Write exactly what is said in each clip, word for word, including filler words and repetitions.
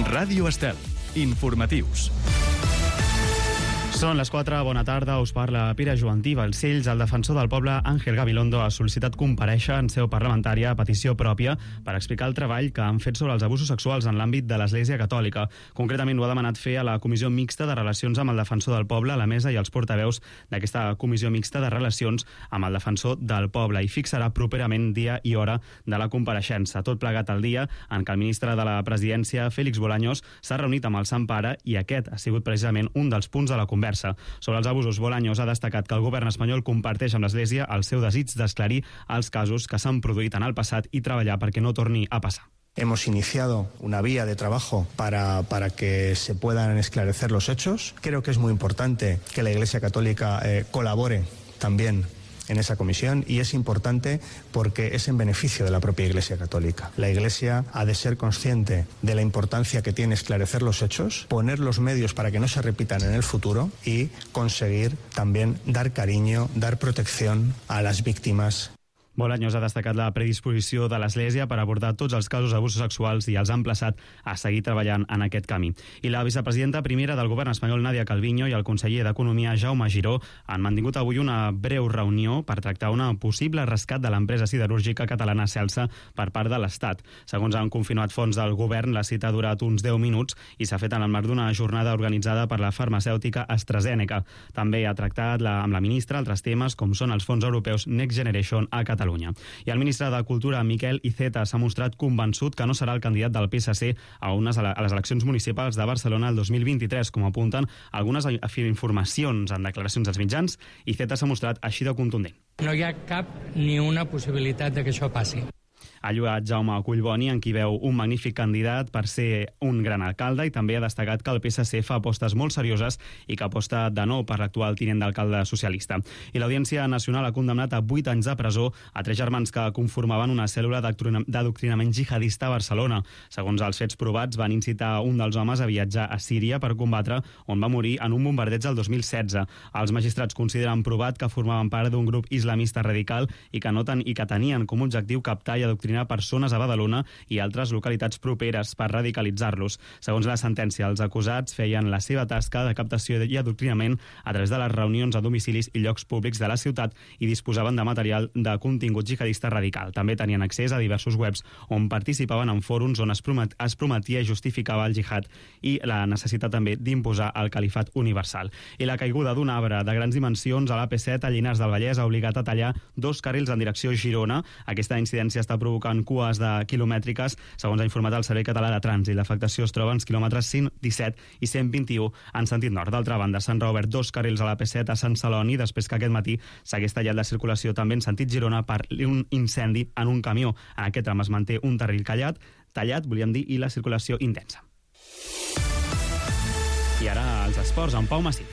Ràdio Estel. Informatius. Són les quatre, bona tarda, us parla Pere Joantí Balcells. El defensor del poble, Ángel Gabilondo, ha sol·licitat comparèixer en seu parlamentària a petició pròpia per explicar el treball que han fet sobre els abusos sexuals en l'àmbit de l'Església Catòlica. Concretament ho ha demanat fer a la Comissió Mixta de Relacions amb el Defensor del Poble, a la mesa i els portaveus d'aquesta Comissió Mixta de Relacions amb el Defensor del Poble, i fixarà properament dia i hora de la compareixença. Tot plegat al dia en què el ministre de la Presidència, Félix Bolaños, s'ha reunit amb el Sant Pare, i aquest ha sigut precisament un dels punts de la conversa. Sobre els abusos, Bolaños ha destacat que el govern espanyol comparteix amb l'Església el seu desig d'esclarir els casos que s'han produït en el passat i treballar perquè no torni a passar. Hemos iniciado una vía de trabajo para, para que se puedan esclarecer los hechos. Creo que es muy importante que la Iglesia Católica eh, colabore también en esa comisión, y es importante porque es en beneficio de la propia Iglesia Católica. La Iglesia ha de ser consciente de la importancia que tiene esclarecer los hechos, poner los medios para que no se repitan en el futuro y conseguir también dar cariño, dar protección a las víctimas. Bolaños ha destacat la predisposició de l'Església per abordar tots els casos d'abusos sexuals i els ha emplaçat a seguir treballant en aquest camí. I la vicepresidenta primera del govern espanyol, Nadia Calviño, i el conseller d'Economia, Jaume Giró, han mantingut avui una breu reunió per tractar un possible rescat de l'empresa siderúrgica catalana Celsa per part de l'Estat. Segons han confirmat fonts del govern, la cita ha durat uns deu minuts i s'ha fet en el marc d'una jornada organitzada per la farmacèutica AstraZeneca. També ha tractat la, amb la ministra altres temes com són els fons europeus Next Generation a Catalunya. I el ministre de Cultura, Miquel Iceta, s'ha mostrat convençut que no serà el candidat del P S C a, unes, a les eleccions municipals de Barcelona el dos mil vint-i-tres, com apunten algunes informacions en declaracions dels mitjans. Iceta s'ha mostrat així de contundent. No hi ha cap ni una possibilitat de que això passi. Ha lloat Jaume Collboni, en qui veu un magnífic candidat per ser un gran alcalde, i també ha destacat que el P S C fa apostes molt serioses i que aposta de nou per l'actual tinent d'alcalde socialista. I l'Audiència Nacional ha condemnat a vuit anys de presó a tres germans que conformaven una cèl·lula d'adoctrinament jihadista a Barcelona. Segons els fets provats, van incitar un dels homes a viatjar a Síria per combatre, on va morir en un bombardeig el dos mil setze. Els magistrats consideren provat que formaven part d'un grup islamista radical i que, no ten, i que tenien com a objectiu captar i adoctrinar persones a Badalona i altres localitats properes per radicalitzar-los. Segons la sentència, els acusats feien la seva tasca de captació i adoctrinament a través de les reunions a domicilis i llocs públics de la ciutat i disposaven de material de contingut jihadista radical. També tenien accés a diversos webs on participaven en fòrums on es, promet, es prometia i justificava el jihad i la necessitat també d'imposar el califat universal. I la caiguda d'un arbre de grans dimensions a l'A P set a Llinars del Vallès ha obligat a tallar dos carrils en direcció a Girona. Aquesta incidència està provocant en cues de quilomètriques, segons ha informat el Servei Català de Trànsit. L'afectació es troba als quilòmetres cent disset i cent vint-i-u en sentit nord. D'altra banda, s'han reobert dos carrils a l'A P set a Sant Celoni després que aquest matí s'hagués tallat la circulació també en sentit Girona per un incendi en un camió. En aquest tram es manté un carril callat, tallat, volíem dir, i la circulació intensa. I ara els esports amb Pau Massí.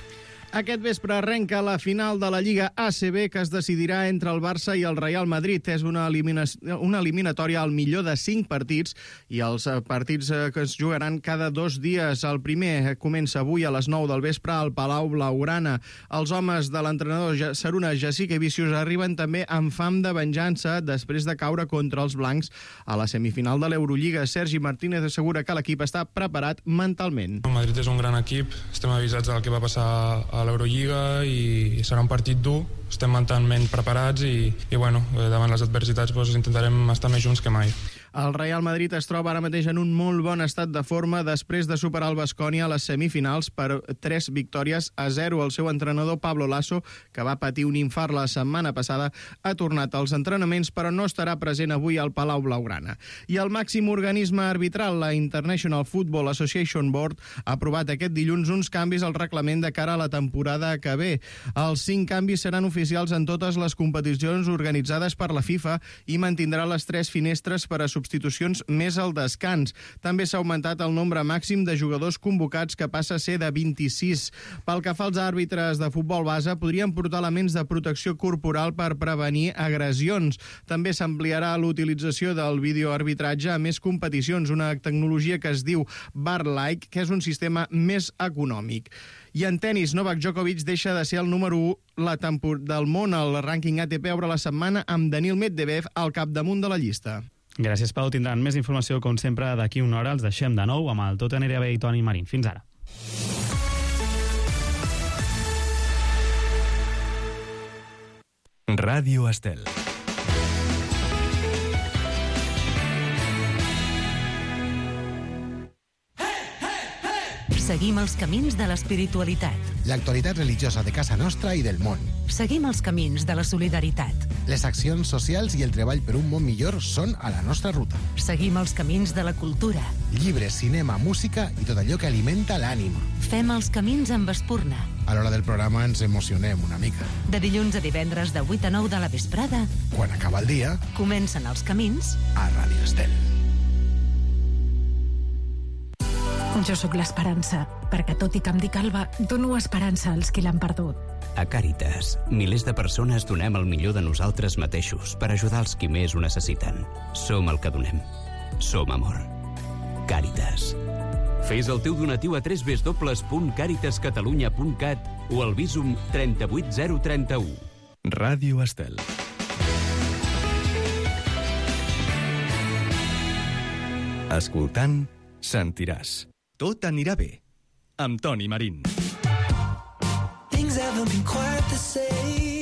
Aquest vespre arrenca la final de la Lliga A C B, que es decidirà entre el Barça i el Real Madrid. És una, elimina... una eliminatòria al millor de cinc partits, i els partits que es jugaran cada dos dies. El primer comença avui a les nou del vespre al Palau Blaugrana. Els homes de l'entrenador Saruna Jasikevičius arriben també amb fam de venjança després de caure contra els blancs a la semifinal de l'Eurolliga. Sergi Martínez assegura que l'equip està preparat mentalment. El Madrid és un gran equip, estem avisats del que va passar a l'Eurolliga i serà un partit dur, estem mentalment preparats i, i bueno, davant les adversitats doncs, intentarem estar més junts que mai. El Real Madrid es troba ara mateix en un molt bon estat de forma després de superar el Baskonia a les semifinals per tres victòries a zero. El seu entrenador Pablo Lasso, que va patir un infart la setmana passada, ha tornat als entrenaments però no estarà present avui al Palau Blaugrana. I el màxim organisme arbitral, la International Football Association Board, ha aprovat aquest dilluns uns canvis al reglament de cara a la temporada que ve. Els cinc canvis seran oficials en totes les competicions organitzades per la FIFA i mantindrà les tres finestres per a substitucions més al descans. També s'ha augmentat el nombre màxim de jugadors convocats, que passa a ser de vint-i-sis. Pel que fa als àrbitres de futbol base, podrien portar elements de protecció corporal per prevenir agressions. També s'ampliarà l'utilització del videoarbitratge a més competicions, una tecnologia que es diu V A R-like, que és un sistema més econòmic. I en tenis, Novak Djokovic deixa de ser el número u la tempor- del món. El rànquing A T P obre la setmana amb Daniil Medvedev al capdamunt de la llista. Gràcies, Pau. Tindran més informació, com sempre, d'aquí una hora. Els deixem de nou amb el Tot anirà bé i Toni Marín. Fins ara. Ràdio Estel. Seguim els camins de l'espiritualitat. L'actualitat religiosa de casa nostra i del món. Seguim els camins de la solidaritat. Les accions socials i el treball per un món millor són a la nostra ruta. Seguim els camins de la cultura. Llibres, cinema, música i tot allò que alimenta l'ànima. Fem els camins amb espurna. A l'hora del programa ens emocionem una mica. De dilluns a divendres de vuit a nou de la vesprada. Quan acaba el dia, comencen els camins a Ràdio Estel. Jo sóc l'esperança, perquè tot i que em dic Alba, dono esperança als qui l'han perdut. A Càritas, milers de persones donem el millor de nosaltres mateixos per ajudar els qui més ho necessiten. Som el que donem. Som amor. Càritas. Fes el teu donatiu a w w w punt càritas catalunya punt cat o al Bizum trenta-vuit zero trenta-u. Ràdio Estel. Escoltant, sentiràs. Tot anirà bé, amb Toni Marín.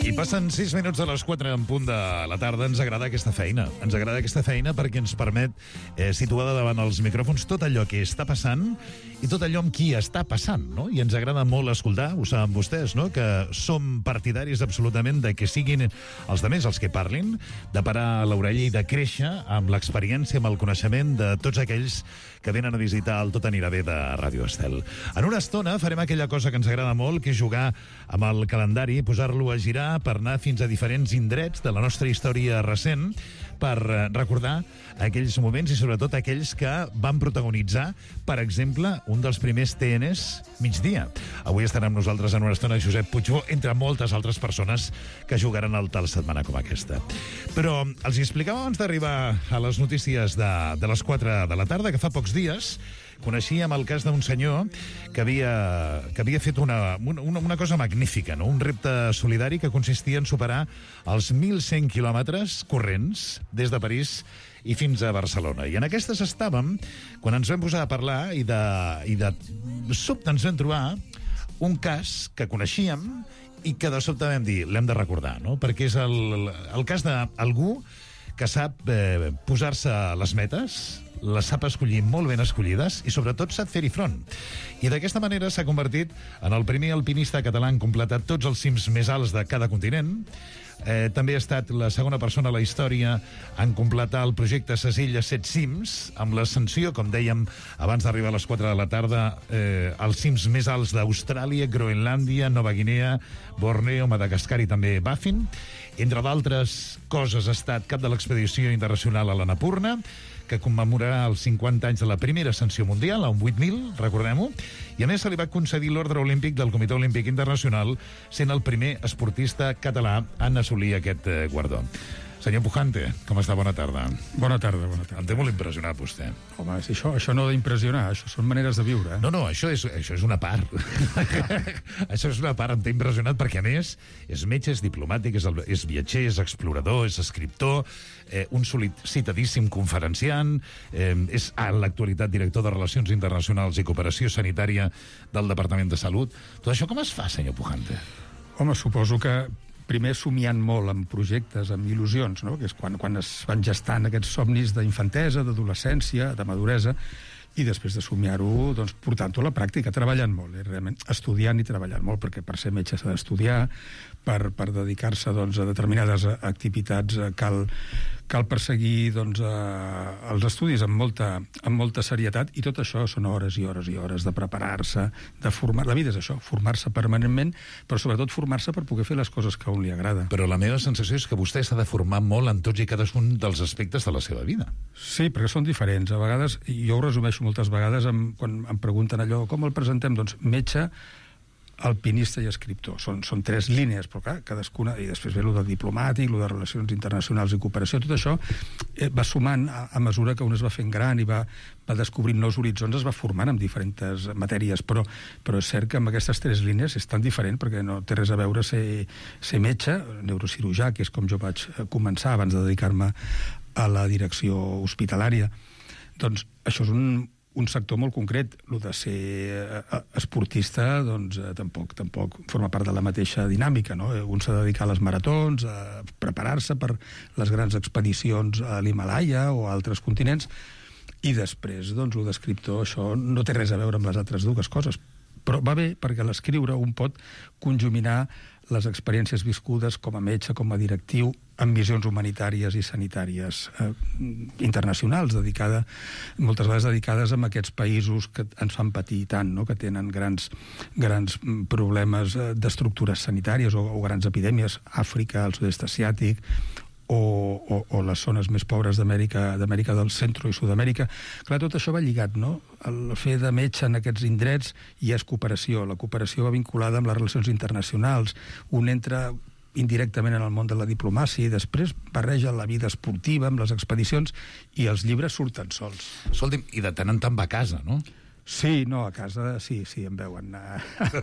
I passen sis minuts de les quatre en punt de la tarda. Ens agrada aquesta feina. Ens agrada aquesta feina perquè ens permet eh, situar davant els micròfons tot allò que està passant i tot allò amb qui està passant, no? I ens agrada molt escoltar, ho saben vostès, no?, que som partidaris absolutament de que siguin els demés els que parlin, de parar l'orella i de créixer amb l'experiència, amb el coneixement de tots aquells que venen a visitar el Tot anirà bé de Ràdio Estel. En una estona farem aquella cosa que ens agrada molt, que és jugar amb el calendari, posar-lo a girar per anar fins a diferents indrets de la nostra història recent, per recordar aquells moments i sobretot aquells que van protagonitzar, per exemple, un dels primers T Ns migdia. Avui estarà amb nosaltres en una estona Josep Puigbó, entre moltes altres persones que jugaran al tal setmana com aquesta. Però els explicava abans d'arribar a les notícies de, de les quatre de la tarda, que fa pocs dies coneixíem el cas d'un senyor que havia, que havia fet una, una, una cosa magnífica, no? Un repte solidari que consistia en superar els mil cent quilòmetres corrents des de París i fins a Barcelona. I en aquestes estàvem quan ens vam posar a parlar i de, i de sobte ens vam trobar un cas que coneixíem i que de sobte vam dir, l'hem de recordar, no? Perquè és el, el cas d'algú que sap eh, posar-se les metes, les sap escollir molt ben escollides i sobretot sap fer-hi front. I d'aquesta manera s'ha convertit en el primer alpinista català en completar tots els cims més alts de cada continent. Eh, també ha estat la segona persona a la història en completar el projecte Ses Illes Set Cims, amb l'ascensió, com dèiem abans d'arribar a les quatre de la tarda, eh, als cims més alts d'Austràlia, Groenlàndia, Nova Guinea, Borneo, Madagascar i també Baffin. Entre d'altres coses ha estat cap de l'expedició internacional a l'Annapurna, que commemorarà els cinquanta anys de la primera ascensió mundial, a un vuit mil, recordem-ho, i a més se li va concedir l'Ordre Olímpic del Comitè Olímpic Internacional, sent el primer esportista català en assolir aquest eh, guardó. Senyor Pujante, com està? Bona tarda. Bona tarda, bona tarda. Em té molt impressionat, vostè. Home, si això, això no ha d'impressionar, això són maneres de viure. Eh? No, no, això és, això és una part. Això és una part, em té impressionat, perquè a més és metge, és diplomàtic, és, el, és viatger, és explorador, és escriptor, eh, un citadíssim conferenciant, eh, és a l'actualitat director de Relacions Internacionals i Cooperació Sanitària del Departament de Salut. Tot això com es fa, senyor Pujante? Home, suposo que primer somiant molt amb projectes, amb il·lusions, no? Que és quan, quan es van gestant aquests somnis d'infantesa, d'adolescència, de maduresa, i després de somiar-ho, doncs, portant-ho a la pràctica, treballant molt, eh? Realment, estudiant i treballant molt, perquè per ser metge s'ha d'estudiar, per, per dedicar-se doncs, a determinades activitats cal, cal perseguir doncs, eh, els estudis amb molta, amb molta serietat, i tot això són hores i hores i hores de preparar-se, de formar... La vida és això, formar-se permanentment, però sobretot formar-se per poder fer les coses que a un li agrada. Però la meva sensació és que vostè s'ha de formar molt en tots i cadascun dels aspectes de la seva vida. Sí, perquè són diferents. A vegades, jo ho resumeixo moltes vegades, amb, quan em pregunten allò, com el presentem? Doncs metge, alpinista i escriptor. Són, són tres línies, però clar, cadascuna, i després ve el de diplomàtic, el de relacions internacionals i cooperació, tot això eh, va sumant a, a mesura que un es va fent gran i va, va descobrint nous horitzons, es va formant en diferents matèries, però, però és cert que amb aquestes tres línies és tan diferent, perquè no té res a veure ser, ser metge, neurocirurgià, que és com jo vaig començar abans de dedicar-me a la direcció hospitalària. Doncs això és un, un sector molt concret. Lo de ser esportista, doncs, eh, tampoc, tampoc forma part de la mateixa dinàmica, no? Un s'ha de dedicar a les maratons, a preparar-se per les grans expedicions a l'Himàlaia o a altres continents, i després, doncs, lo d'escriptor, això no té res a veure amb les altres dues coses. Però va bé, perquè a l'escriure un pot conjuminar les experiències viscudes com a metge, com a directiu, amb visions humanitàries i sanitàries eh, internacionals, dedicada, moltes vegades dedicades a aquests països que ens fan patir tant, no? Que tenen grans, grans problemes d'estructures sanitàries o, o grans epidèmies, Àfrica, el sud-est asiàtic, o, o, o les zones més pobres d'Amèrica d'Amèrica del Centre i Sud-amèrica. Clar, tot això va lligat, no? El fer de metge en aquests indrets hi és cooperació. La cooperació va vinculada amb les relacions internacionals. Un entra indirectament en el món de la diplomàcia i després barreja la vida esportiva amb les expedicions i els llibres surten sols. Escolti'm, i de tant en tant va a casa, no? Sí, no, a casa sí, sí, em veuen.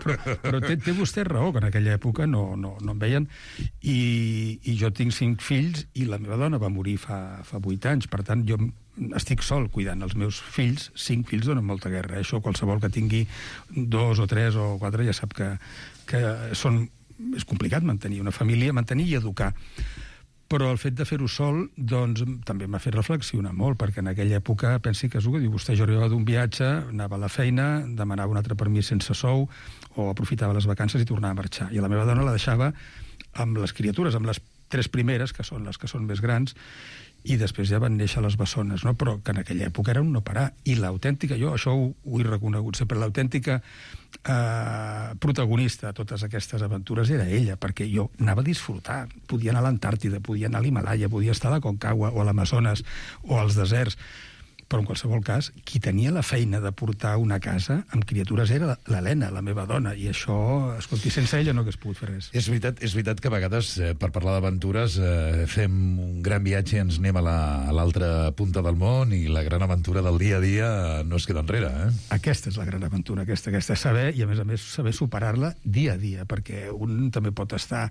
Però, però té, té vostè raó, que en aquella època no, no, no em veien. I, I jo tinc cinc fills i la meva dona va morir fa, fa vuit anys. Per tant, jo estic sol cuidant els meus fills. Cinc fills donen molta guerra. Això qualsevol que tingui dos o tres o quatre ja sap que, que són, és complicat mantenir una família, mantenir i educar. Però el fet de fer-ho sol, doncs, també m'ha fet reflexionar molt, perquè en aquella època, pensi que és el que diu vostè, jo arribava d'un viatge, anava a la feina, demanava un altre permís sense sou, o aprofitava les vacances i tornava a marxar. I la meva dona la deixava amb les criatures, amb les tres primeres, que són les que són més grans, i després ja van néixer les bessones, no? Però que en aquella època era un no parar. I l'autèntica, jo això ho, ho he reconegut sempre, l'autèntica eh, protagonista de totes aquestes aventures era ella, perquè jo anava a disfrutar. Podia anar a l'Antàrtida, podia anar a l'Himàlaia, podia estar a la Concagua o a l'Amazones o als deserts. Però en qualsevol cas, qui tenia la feina de portar una casa amb criatures era l'Helena, la meva dona, i això, escolti, sense ella no hagués pogut fer res. És veritat, és veritat que a vegades, eh, per parlar d'aventures, eh, fem un gran viatge i ens anem a l'altra la, punta del món i la gran aventura del dia a dia no es queda enrere, eh? Aquesta és la gran aventura, aquesta, aquesta saber, i a més a més saber superar-la dia a dia, perquè un també pot estar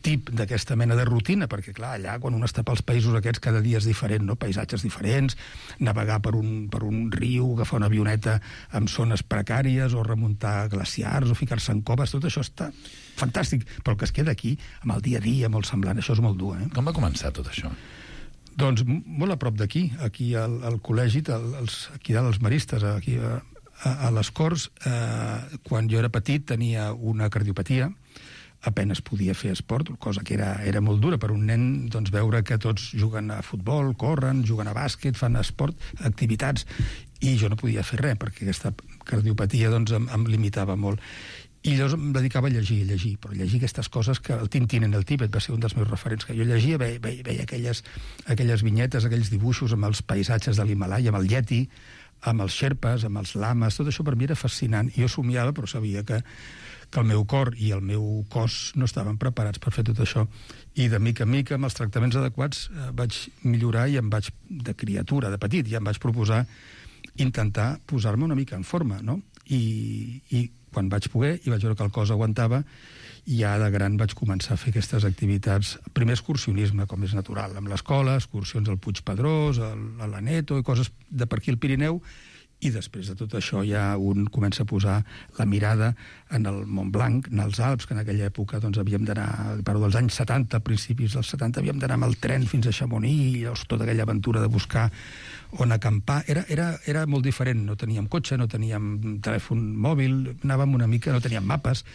tip d'aquesta mena de rutina, perquè clar, allà quan un està pels països aquests cada dia és diferent, no? Paisatges diferents, navegar per un, per un riu, agafar una avioneta amb zones precàries o remuntar glaciars o ficar-se en coves, tot això està fantàstic, però el que es queda aquí, amb el dia a dia, molt semblant, això és molt dur, eh? Com va començar tot això? Doncs molt a prop d'aquí, aquí al, al col·legi, al, als, aquí dalt als maristes, aquí a, a, a les Corts, eh, quan jo era petit tenia una cardiopatia, apenes podia fer esport, cosa que era, era molt dura per un nen, doncs, veure que tots juguen a futbol, corren, juguen a bàsquet, fan esport, activitats, i jo no podia fer res, perquè aquesta cardiopatia doncs, em, em limitava molt. I llavors em dedicava a llegir, a llegir, però llegir aquestes coses que el Tintín en el Tíbet va ser un dels meus referents, que jo llegia, veia, veia, veia aquelles, aquelles vinyetes, aquells dibuixos amb els paisatges de l'Himàlaia, amb el Yeti, amb els xerpes, amb els lames, tot això per mi era fascinant. I jo somiava, però sabia que que el meu cor i el meu cos no estaven preparats per fer tot això. I de mica en mica, amb els tractaments adequats, eh, vaig millorar i em vaig, de criatura, de petit, ja em vaig proposar intentar posar-me una mica en forma, no? I, i quan vaig poder, i vaig veure que el cos aguantava, ja de gran vaig començar a fer aquestes activitats, primer excursionisme, com és natural, amb l'escola, excursions al Puig Pedrós, a l'Aneto, i coses de per aquí al Pirineu, i després de tot això ja un comença a posar la mirada en el Mont Blanc, en els Alps, que en aquella època doncs, havíem d'anar, parlo dels anys setanta, principis dels setanta, havíem d'anar amb el tren fins a Chamonix, i llavors tota aquella aventura de buscar on acampar. Era, era, era molt diferent, no teníem cotxe, no teníem telèfon mòbil, anàvem una mica, no teníem mapes,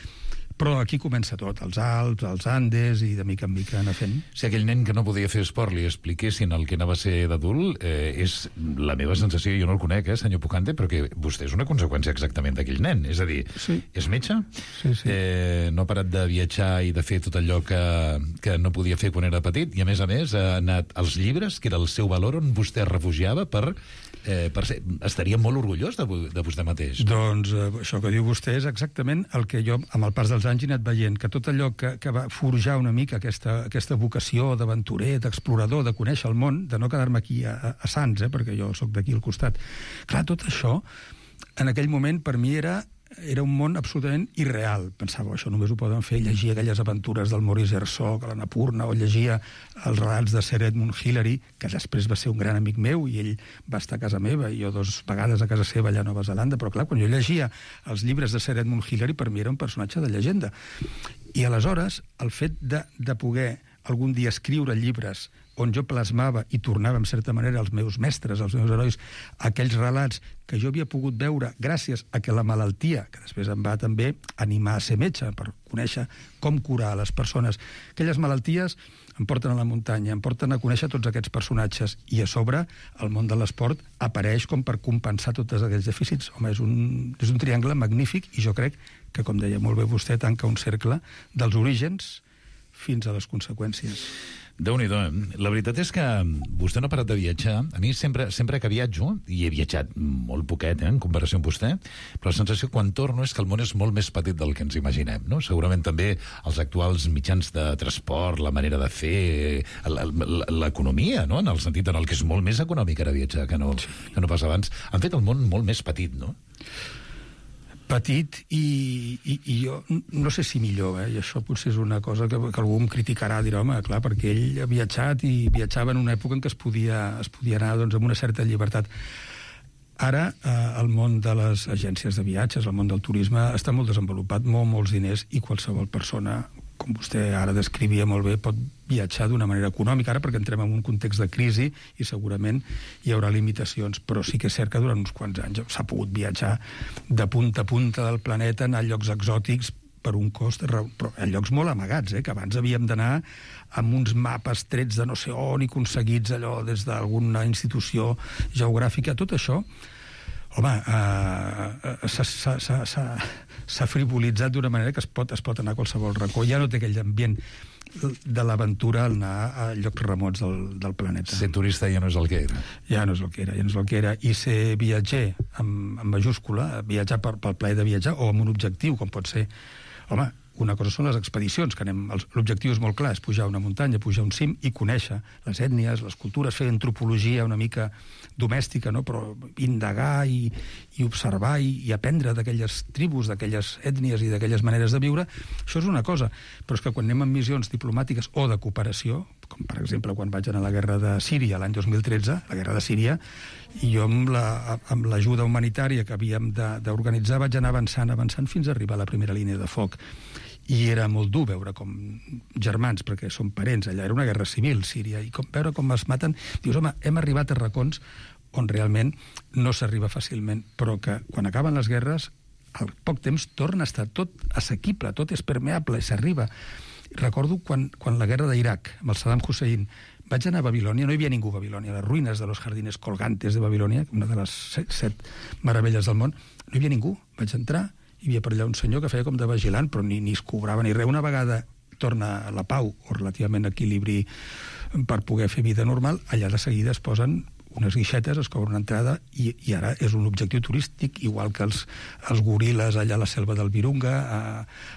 però aquí comença tot, els Alps, els Andes, i de mica en mica anar fent. Si aquell nen que no podia fer esport li expliquessin el que anava a ser d'adult, eh, és la meva sensació, jo no el conec, eh, senyor Pucante, però que vostè és una conseqüència exactament d'aquell nen. És a dir, sí. És metge, sí, sí. Eh, no ha parat de viatjar i de fer tot allò que, que no podia fer quan era petit, i a més a més ha anat als llibres, que era el seu valor on vostè es refugiava per... Eh, per ser, estaria molt orgullós de, de vostè mateix. Doncs eh, això que diu vostè és exactament el que jo, amb el pas dels anys, he anat veient, que tot allò que, que va forjar una mica aquesta, aquesta vocació d'aventurer, d'explorador, de conèixer el món, de no quedar-me aquí a, a Sants, eh, perquè jo sóc d'aquí al costat. Clar, tot això, en aquell moment, per mi era era un món absolutament irreal. Pensava, això només ho poden fer, llegia aquelles aventures del Maurice Herzog a l'Annapurna, o llegia els relats de Sir Edmund Hillary, que després va ser un gran amic meu, i ell va estar a casa meva, i jo dos vegades a casa seva allà a Nova Zelanda, però clar, quan jo llegia els llibres de Sir Edmund Hillary, per mi era un personatge de llegenda. I aleshores, el fet de, de poder algun dia escriure llibres on jo plasmava i tornava, en certa manera, als meus mestres, als meus herois, aquells relats que jo havia pogut veure gràcies a que la malaltia, que després em va també animar a ser metge, per conèixer com curar a les persones, aquelles malalties em porten a la muntanya, em porten a conèixer tots aquests personatges, i a sobre el món de l'esport apareix com per compensar tots aquells dèficits. Home, és un, és un triangle magnífic, i jo crec que, com deia molt bé vostè, tanca un cercle dels orígens fins a les conseqüències. Déu-n'hi-do. La veritat és que vostè no ha parat de viatjar. A mi sempre, sempre que viatjo, i he viatjat molt poquet, eh, en comparació amb vostè, però la sensació quan torno és que el món és molt més petit del que ens imaginem, no? Segurament també els actuals mitjans de transport, la manera de fer, l'economia, no? En el sentit en el que és molt més econòmic ara viatjar que no, que no pas abans, han fet el món molt més petit, no? Petit, i, i, i jo no sé si millor, eh? I això potser és una cosa que, que algú em criticarà, dirà, home, clar, perquè ell ha viatjat i viatjava en una època en què es podia, es podia anar, doncs, amb una certa llibertat. Ara, eh, el món de les agències de viatges, el món del turisme, està molt desenvolupat, molt, molts diners, i qualsevol persona, com vostè ara descrivia molt bé, pot viatjar d'una manera econòmica, ara perquè entrem en un context de crisi i segurament hi haurà limitacions, però sí que és cert que durant uns quants anys s'ha pogut viatjar de punta a punta del planeta, anar a llocs exòtics per un cost, però a llocs molt amagats, eh, que abans havíem d'anar amb uns mapes trets de no sé on i aconseguits allò des d'alguna institució geogràfica. Tot això, home, eh, s'ha frivolitzat d'una manera que es pot, es pot anar a qualsevol racó. Ja no té aquell ambient de l'aventura al anar a llocs remots del, del planeta. Ser turista ja no és el que era. Ja no és el que era, ja no és el que era. I ser viatger, amb, amb majúscula, viatjar per, pel plaer de viatjar, o amb un objectiu, com pot ser... Home, una cosa són les expedicions, que anem... L'objectiu és molt clar, és pujar una muntanya, pujar un cim i conèixer les ètnies, les cultures, fer antropologia una mica domèstica, no? Però indagar i, i observar i, i aprendre d'aquelles tribus, d'aquelles ètnies i d'aquelles maneres de viure, això és una cosa. Però és que quan anem en missions diplomàtiques o de cooperació, com per exemple quan vaig anar a la guerra de Síria l'any dos mil tretze, la guerra de Síria, i jo amb la, amb l'ajuda humanitària que havíem d'organitzar vaig anar avançant, avançant fins a arribar a la primera línia de foc. I era molt dur veure com germans, perquè són parents, allà era una guerra civil, Síria, i com, veure com es maten, dius, home, hem arribat a racons on realment no s'arriba fàcilment, però que quan acaben les guerres, al poc temps torna a estar tot assequible, tot és permeable, i s'arriba. Recordo quan, quan la guerra d'Iraq, amb el Saddam Hussein, vaig anar a Babilònia, no hi havia ningú a Babilònia, les ruïnes de los jardines colgantes de Babilònia, una de les set, set meravelles del món, no hi havia ningú. Vaig entrar, hi havia per allà un senyor que feia com de vigilant, però ni, ni es cobrava ni res. Una vegada torna la pau, o relativament equilibri per poder fer vida normal, allà de seguida es posen unes guixetes, es cobra una entrada, i, i ara és un objectiu turístic, igual que els, els goril·les allà a la selva del Virunga, a,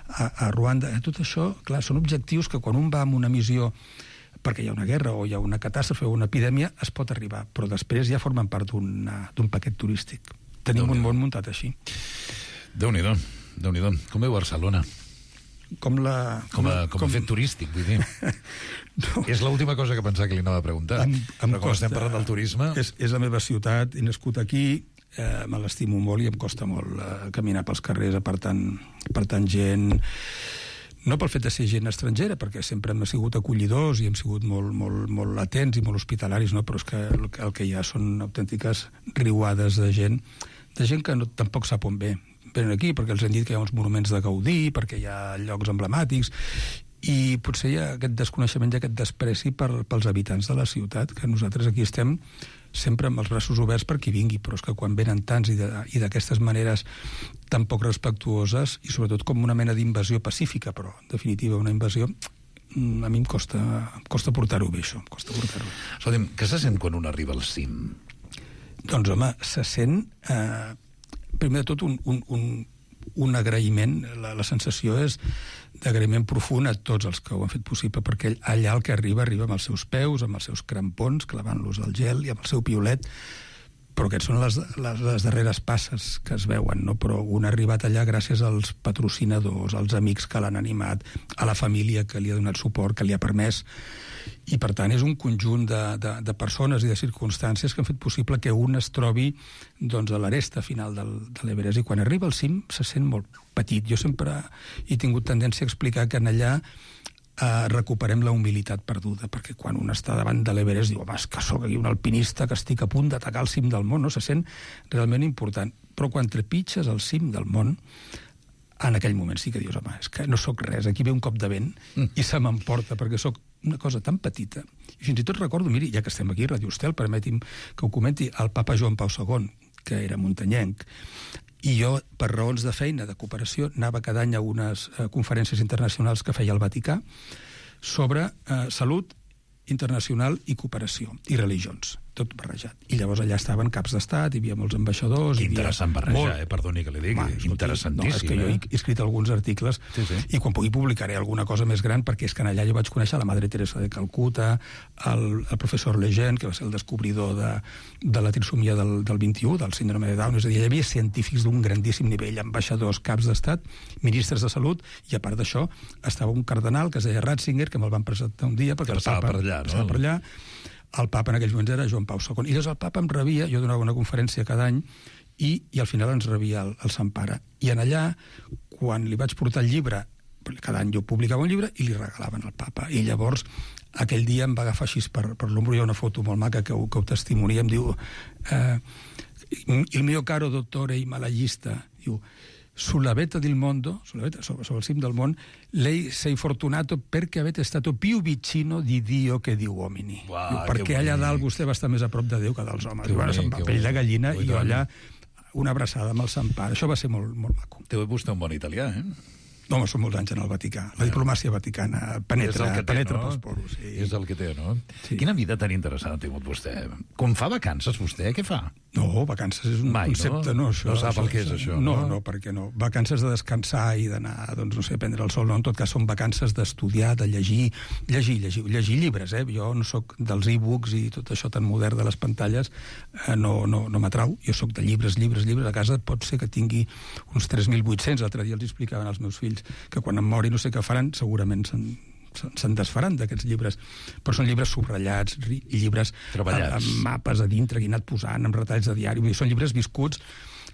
a, a Ruanda. Tot això, clar, són objectius que quan un va amb una missió perquè hi ha una guerra o hi ha una catàstrofe o una epidèmia, es pot arribar, però després ja formen part d'un paquet turístic. Tenim un món muntat així. Déu-n'hi-do, Déu-n'hi-do. Com veu Barcelona? Com la... Com a, com com... a fet turístic, vull dir. No. És l'última cosa que pensava que li anava a preguntar. Em, em però com costa, estem parlant del turisme... És, és la meva ciutat, he nascut aquí, eh, me l'estimo molt i em costa molt eh, caminar pels carrers apartant, apartant gent... No pel fet de ser gent estrangera, perquè sempre hem sigut acollidors i hem sigut molt, molt, molt atents i molt hospitalaris, no? Però és que el, el que hi ha són autèntiques riuades de gent, de gent que no, tampoc sap on ve. Venen aquí perquè els han dit que hi ha uns monuments de Gaudí, perquè hi ha llocs emblemàtics, i potser hi ha aquest desconeixement i aquest despreci per, pels habitants de la ciutat, que nosaltres aquí estem sempre amb els braços oberts per qui vingui, però és que quan venen tants i d'aquestes maneres tan poc respectuoses, i sobretot com una mena d'invasió pacífica, però en definitiva una invasió, a mi em costa, em costa portar-ho bé, això, em costa portar-ho. Escolta'm, què se sent quan un arriba al cim? Doncs, home, se sent, eh, primer de tot, un, un, un, un agraïment, la, la sensació és d'agraïment profund a tots els que ho han fet possible, perquè allà el que arriba, arriba amb els seus peus, amb els seus crampons, clavant-los al gel i amb el seu piolet, però aquests són les, les, les darreres passes que es veuen, no? Però un ha arribat allà gràcies als patrocinadors, als amics que l'han animat, a la família que li ha donat suport, que li ha permès, i per tant és un conjunt de, de, de persones i de circumstàncies que han fet possible que un es trobi doncs, a l'aresta final del, de l'Everest, i quan arriba al cim se sent molt petit. Jo sempre he tingut tendència a explicar que en allà Uh, recuperem la humilitat perduda, perquè quan un està davant de l'Everest diu, home, és que sóc aquí un alpinista que estic a punt d'atacar el cim del món, no? Se sent realment important. Però quan trepitges el cim del món, en aquell moment sí que dius, home, és que no sóc res, aquí ve un cop de vent mm. i se m'emporta, perquè sóc una cosa tan petita. I fins i tot recordo, miri, ja que estem aquí a Radio Estel, permeti'm que ho comenti, el papa Joan Pau segon, que era muntanyenc, i jo, per raons de feina, de cooperació, anava cada any a unes eh, conferències internacionals que feia el Vaticà sobre eh, salut internacional i cooperació, i religions, tot barrejat. I llavors allà estaven caps d'estat, hi havia molts ambaixadors... Que interessant barrejar, molt... eh? Perdoni que li digui, és interessantíssim. No, és que jo he escrit alguns articles sí, sí. i quan pugui publicaré alguna cosa més gran, perquè és que allà jo vaig conèixer la Madre Teresa de Calcuta, el, el professor Lejeune, que va ser el descobridor de, de la trisomia del, del vint-i-u, del síndrome de Down, és a dir, hi havia científics d'un grandíssim nivell, ambaixadors, caps d'estat, ministres de salut, i a part d'això estava un cardenal que es deia Ratzinger, que me'l van presentar un dia, perquè el papa per allà, no? per allà. El papa en aquells moments era Joan Pau segon. I llavors el papa em rebia, jo donava una conferència cada any, i, i al final ens rebia el, el Sant Pare. I en allà, quan li vaig portar el llibre, cada any jo publicava un llibre i li regalaven al papa. I llavors, aquell dia em va agafar així per, per l'ombro, hi ha una foto molt maca que ho, que ho testimonia, em diu eh, il mio caro dottore himalajista, diu, sulla vetta del mondo, sulla vetta, sobre, sobre il cim del món, lei sei fortunato perché avete stato più vicino di Dio che di uomini. Uau, Diu, perquè allà dalt vostè va estar més a prop de Déu que dels homes. Diu, bueno, se'm va pell de gallina i jo allà una abraçada amb el Sant Pare. Això va ser molt, molt maco. Té vostè un bon italià, eh? No, home, són molts anys en el Vaticà. La diplomàcia vaticana penetra, té, penetra no? pels poros. Sí. És el que té, no? Sí. Quina vida tan interessant ha tingut vostè. Com fa vacances, vostè? Què fa? No, vacances és un Mai, concepte, no? no? Això, no sap això, el que és això, no? No, no, perquè no. Vacances de descansar i d'anar, doncs, no sé, prendre el sol, no? En tot cas, són vacances d'estudiar, de llegir, llegir, llegir, llegir llibres, eh? Jo no sóc dels e-books i tot això tan modern de les pantalles, eh, no, no, no m'atrau. Jo sóc de llibres, llibres, llibres. A casa pot ser que tingui uns tres mil vuit-cents. L'altre dia els explicaven als meus fills que quan em mori no sé què faran, segurament se'n se'n desfaran d'aquests llibres, però són llibres subratllats i llibres treballats, amb mapes a dintre que he anat posant, amb retalls de diari, vull dir, són llibres viscuts,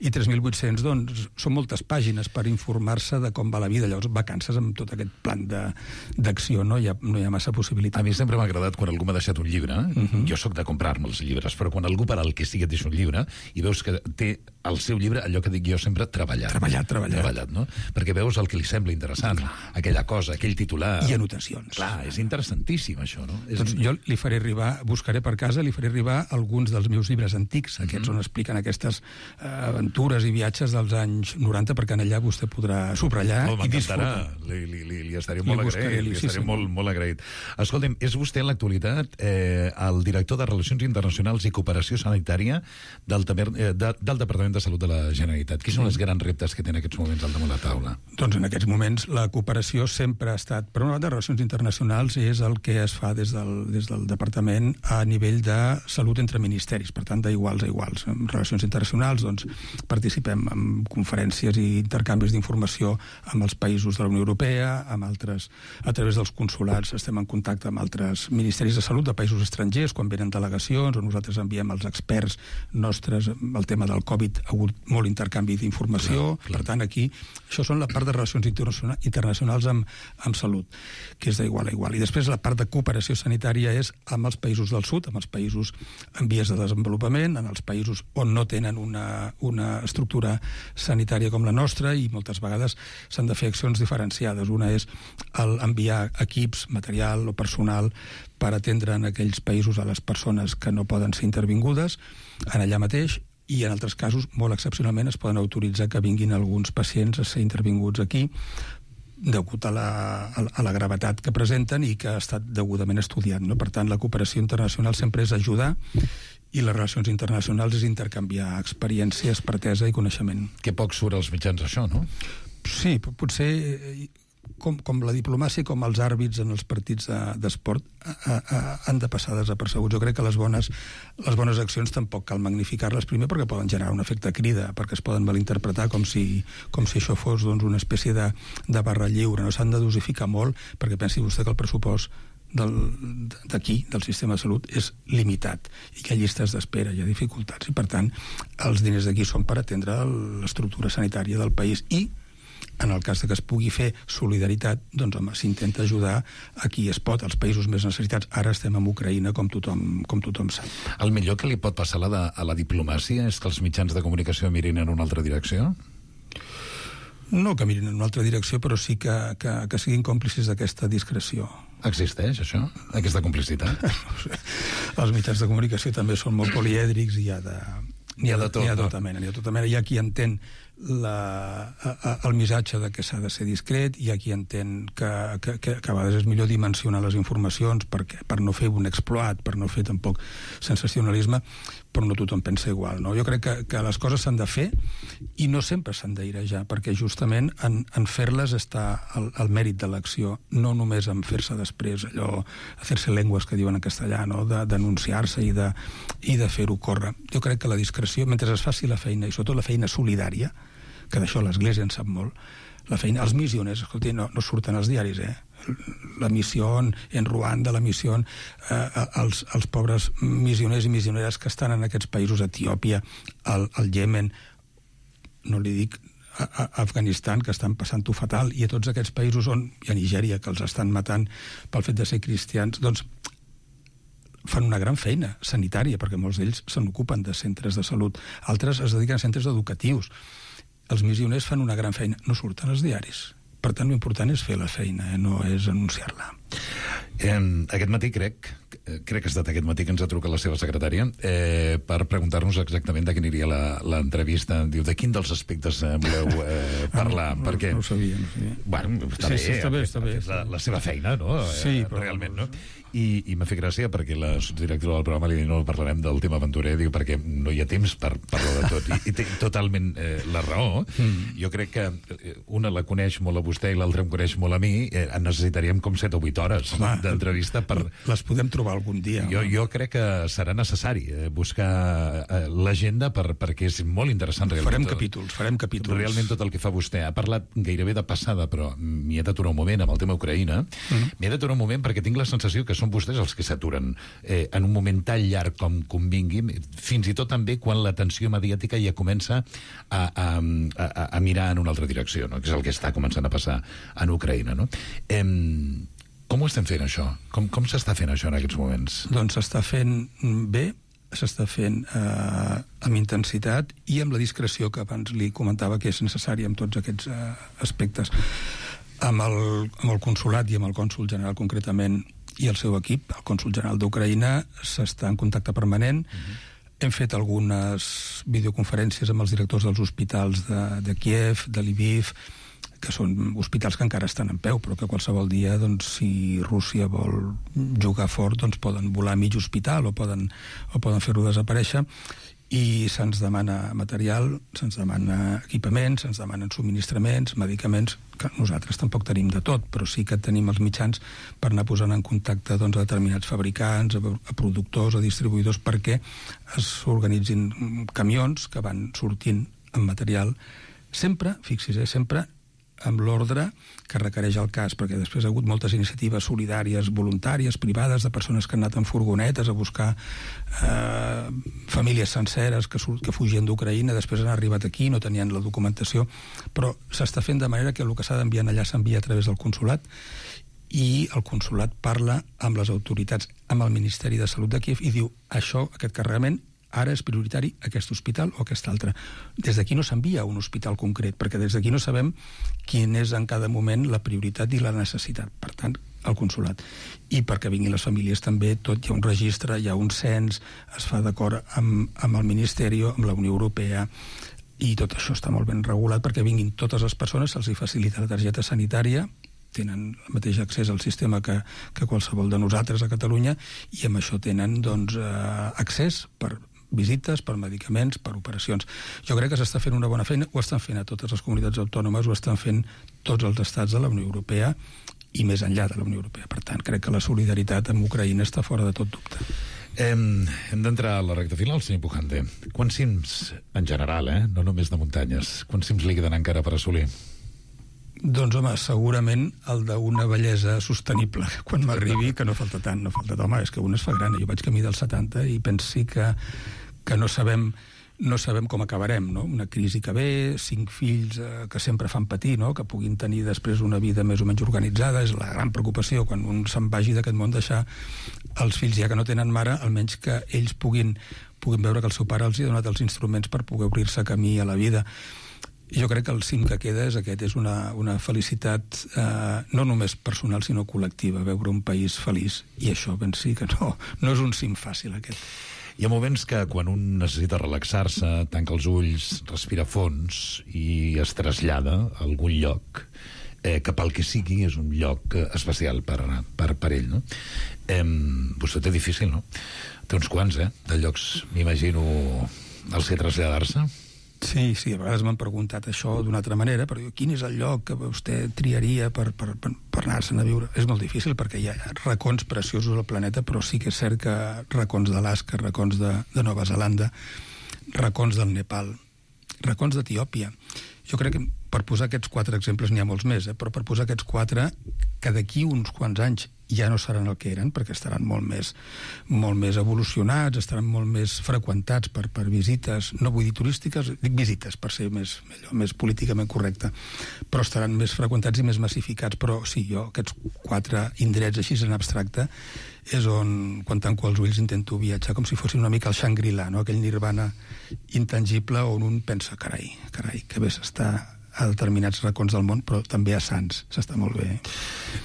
i tres mil vuit-cents, doncs, són moltes pàgines per informar-se de com va la vida. Llavors, vacances amb tot aquest plan d'acció, no? Hi ha, no hi ha massa possibilitat. A mi sempre m'ha agradat quan algú m'ha deixat un llibre. Uh -huh. Jo sóc de comprar-me els llibres, però quan algú per al que sigui et deixa un llibre i veus que té el seu llibre, allò que dic jo sempre, treballat. Treballat, treballat. Treballat, no? Perquè veus el que li sembla interessant, clar, aquella cosa, aquell titular... I anotacions. Clar, és interessantíssim, això, no? És... Doncs jo li faré arribar, buscaré per casa, li faré arribar alguns dels meus llibres antics, aquests uh -huh. on expliquen aquestes eh, aventures i viatges dels anys noranta, perquè en allà vostè podrà subratllar oh, i disfrutar. Li, li, li, li estaré molt li buscaré, agraït, li, li estaré sí, molt, molt agraït. Escolta'm, és vostè en l'actualitat eh, el director de Relacions Internacionals i Cooperació Sanitària del, eh, de, del Departament de Salut de la Generalitat. Quins són els grans reptes que té en aquests moments al damunt la taula? Doncs en aquests moments la cooperació sempre ha estat, per una banda, Relacions Internacionals és el que es fa des del, des del Departament a nivell de salut entre ministeris, per tant, d'iguals a iguals. En Relacions Internacionals, doncs, participem en conferències i intercanvis d'informació amb els països de la Unió Europea, amb altres, a través dels consulats estem en contacte amb altres ministeris de salut de països estrangers, quan venen delegacions, o nosaltres enviem els experts nostres, el tema del Covid ha hagut molt intercanvi d'informació, per tant, aquí, això són la part de relacions internacionals amb, amb salut, que és d'igual a igual. I després la part de cooperació sanitària és amb els països del sud, amb els països en vies de desenvolupament, en els països on no tenen una, una estructura sanitària com la nostra, i moltes vegades s'han de fer accions diferenciades. Una és el enviar equips, material o personal per atendre en aquells països a les persones que no poden ser intervingudes en allà mateix, i en altres casos, molt excepcionalment, es poden autoritzar que vinguin alguns pacients a ser intervinguts aquí degut a la, a la gravetat que presenten i que ha estat degudament estudiat, no? Per tant, la cooperació internacional sempre és ajudar, i les relacions internacionals és intercanviar experiència, expertesa i coneixement. Que poc surt als mitjans això, no? Sí, potser com, com la diplomàcia, com els àrbits en els partits d'esport, de, a, a, han de passar desapercebuts. Jo crec que les bones, les bones accions tampoc cal magnificar-les, primer perquè poden generar un efecte crida, perquè es poden malinterpretar com si, com si això fos doncs, una espècie de, de barra lliure. No s'han de dosificar molt, perquè pensi vostè que el pressupost d'aquí, del, del sistema de salut, és limitat i que hi ha llistes d'espera, hi ha dificultats, i per tant els diners d'aquí són per atendre l'estructura sanitària del país. I en el cas de que es pugui fer solidaritat, doncs home, s'intenta ajudar a qui es pot, als països més necessitats. Ara estem en Ucraïna, com tothom, com tothom sap. El millor que li pot passar a la, de, a la diplomàcia és que els mitjans de comunicació mirin en una altra direcció? No que mirin en una altra direcció, però sí que, que, que siguin còmplices d'aquesta discreció. Existeix, això? Aquesta complicitat? No sé. Els mitjans de comunicació també són molt polièdrics i hi ha de... N'hi ha de tot, N'hi ha no? tota mena, n'hi ha tota mena. Hi ha qui entén la, a, a, el missatge de que s'ha de ser discret, hi ha qui entén que, que, que, que a vegades és millor dimensionar les informacions perquè, per no fer un exploit, per no fer tampoc sensacionalisme, però no tothom pensa igual, no? Jo crec que, que les coses s'han de fer i no sempre s'han d'airejar, perquè justament en, en fer-les està el, el mèrit de l'acció, no només en fer-se després allò, fer-se llengües que diuen en castellà, no? De denunciar-se i de, i de fer-ho córrer. Jo crec que la discreció, mentre es faci la feina, i sobretot la feina solidària, que d'això l'Església en sap molt, la feina, els missioners, escolti, no, no surten als diaris, eh? La missió en Ruanda, la missió eh, els, els pobres missioners i missioneres que estan en aquests països, Etiòpia, al, al Iemen, no li dic a, a Afganistan, que estan passant-ho fatal, i a tots aquests països on, i a Nigèria, que els estan matant pel fet de ser cristians, doncs fan una gran feina sanitària, perquè molts d'ells se n'ocupen de centres de salut, altres es dediquen a centres educatius. Els missioners fan una gran feina, no surten als diaris. Per tant, l'important és fer la feina, eh? No és anunciar-la. Eh, aquest matí crec, crec que ha estat aquest matí que ens ha trucat la seva secretària eh, per preguntar-nos exactament de quina aniria l'entrevista. Diu, de quin dels aspectes eh, voleu eh, parlar? Ah, no, perquè... no ho sabia, no ho sabia. Bueno, està sí, bé, sí, està bé, està bé. La, la seva feina, no? Sí, eh, però... Realment, no? I, i m'ha fet gràcia perquè la directora del programa li diu no parlarem del tema aventurer, diu perquè no hi ha temps per parlar de tot. I, i té totalment eh, la raó. Mm. Jo crec que una la coneix molt a vostè i l'altra em coneix molt a mi. Eh, necessitaríem com set o vuit hores d'entrevista per... Les podem trobar algun dia. Jo, jo crec que serà necessari eh, buscar eh, l'agenda per, perquè és molt interessant. Realment. Farem capítols, farem capítols. Realment tot el que fa vostè. Ha parlat gairebé de passada, però m'hi he d'aturar un moment amb el tema Ucraïna. Mm. M'hi he d'aturar un moment perquè tinc la sensació que són vostès els que s'aturen eh, en un moment tan llarg com convingui, fins i tot també quan la tensió mediàtica ja comença a, a, a, a mirar en una altra direcció, no? Que és el que està començant a passar en Ucraïna. No? Eh, com ho estem fent, això? Com, com s'està fent això en aquests moments? Doncs s'està fent bé, s'està fent eh, amb intensitat i amb la discreció que abans li comentava que és necessària en tots aquests eh, aspectes. Amb el, amb el consolat i amb el cònsol general concretament i el seu equip, el cònsol general d'Ucraïna, s'està en contacte permanent. Uh-huh. Hem fet algunes videoconferències amb els directors dels hospitals de, de Kiev, de Lviv, que són hospitals que encara estan en peu, però que qualsevol dia, doncs, si Rússia vol jugar fort, doncs poden volar a mig hospital o poden, o poden fer-ho desaparèixer. I se'ns demana material, se'ns demana equipaments, se'ns demanen subministraments, medicaments, que nosaltres tampoc tenim de tot, però sí que tenim els mitjans per anar posant en contacte doncs, a determinats fabricants, a, a productors, a distribuïdors, perquè s'organitzin camions que van sortint amb material, sempre, fixis, eh, sempre amb l'ordre que requereix el cas, perquè després ha hagut moltes iniciatives solidàries, voluntàries, privades, de persones que han anat en furgonetes a buscar eh, famílies senceres que, que fugien d'Ucraïna, després han arribat aquí, no tenien la documentació, però s'està fent de manera que el que s'ha d'enviar allà s'envia a través del consolat, i el consolat parla amb les autoritats, amb el Ministeri de Salut de Kiev, i diu, això, aquest carregament, ara és prioritari aquest hospital o aquest altre. Des d'aquí no s'envia a un hospital concret, perquè des d'aquí no sabem quin és en cada moment la prioritat i la necessitat. Per tant, el consolat. I perquè vinguin les famílies també, tot hi ha un registre, hi ha un cens, es fa d'acord amb, amb el Ministeri, amb la Unió Europea, i tot això està molt ben regulat perquè vinguin totes les persones, se'ls hi facilita la targeta sanitària, tenen el mateix accés al sistema que, que qualsevol de nosaltres a Catalunya, i amb això tenen doncs, eh, accés per visites, per medicaments, per operacions. Jo crec que s'està fent una bona feina, ho estan fent a totes les comunitats autònomes, ho estan fent tots els estats de la Unió Europea i més enllà de la Unió Europea. Per tant, crec que la solidaritat amb Ucraïna està fora de tot dubte. Hem, hem d'entrar a la recta final, senyor Pujante. Quants cims, en general, eh? no només de muntanyes, quants cims li queden encara per assolir? Doncs, home, segurament el d'una bellesa sostenible, quan m'arribi, que no falta tant, no falta tant. Home, és que un es fa gran, jo vaig camí dels setanta i pensi que, que no sabem no sabem com acabarem, no? Una crisi que ve, cinc fills eh, que sempre fan patir, no? Que puguin tenir després una vida més o menys organitzada, és la gran preocupació quan un se'n vagi d'aquest món, deixar els fills, ja que no tenen mare, almenys que ells puguin, puguin veure que el seu pare els ha donat els instruments per poder obrir-se camí a la vida. Jo crec que el cim que queda és aquest, és una, una felicitat eh, no només personal sinó col·lectiva, veure un país feliç, i això ben sí que no, no és un cim fàcil aquest. Hi ha moments que quan un necessita relaxar-se, tanca els ulls, respira fons i es trasllada a algun lloc, eh, que pel que sigui és un lloc especial per, per, per ell, no? Eh, vostè té difícil, no? Té uns quants, eh, de llocs, m'imagino, als que traslladar-se. Sí, sí, a vegades m'han preguntat això d'una altra manera, però quin és el lloc que vostè triaria per, per, per, per anar-se'n a viure? És molt difícil perquè hi ha racons preciosos al planeta, però sí que és cert que racons d'Alaska, racons de, de Nova Zelanda, racons del Nepal, racons d'Etiòpia. Jo crec que per posar aquests quatre exemples n'hi ha molts més, eh? Però per posar aquests quatre, que d'aquí uns quants anys ja no seran el que eren, perquè estaran molt més, molt més evolucionats, estaran molt més freqüentats per, per visites, no vull dir turístiques, dic visites, per ser més, millor, més políticament correcte, però estaran més freqüentats i més massificats. Però sí, jo aquests quatre indrets així en abstracte és on, quan tanco els ulls, intento viatjar com si fossin una mica el Shangri-La, no? Aquell nirvana intangible on un pensa, carai, carai, que bé s'està a determinats racons del món, però també a Sants s'està molt bé.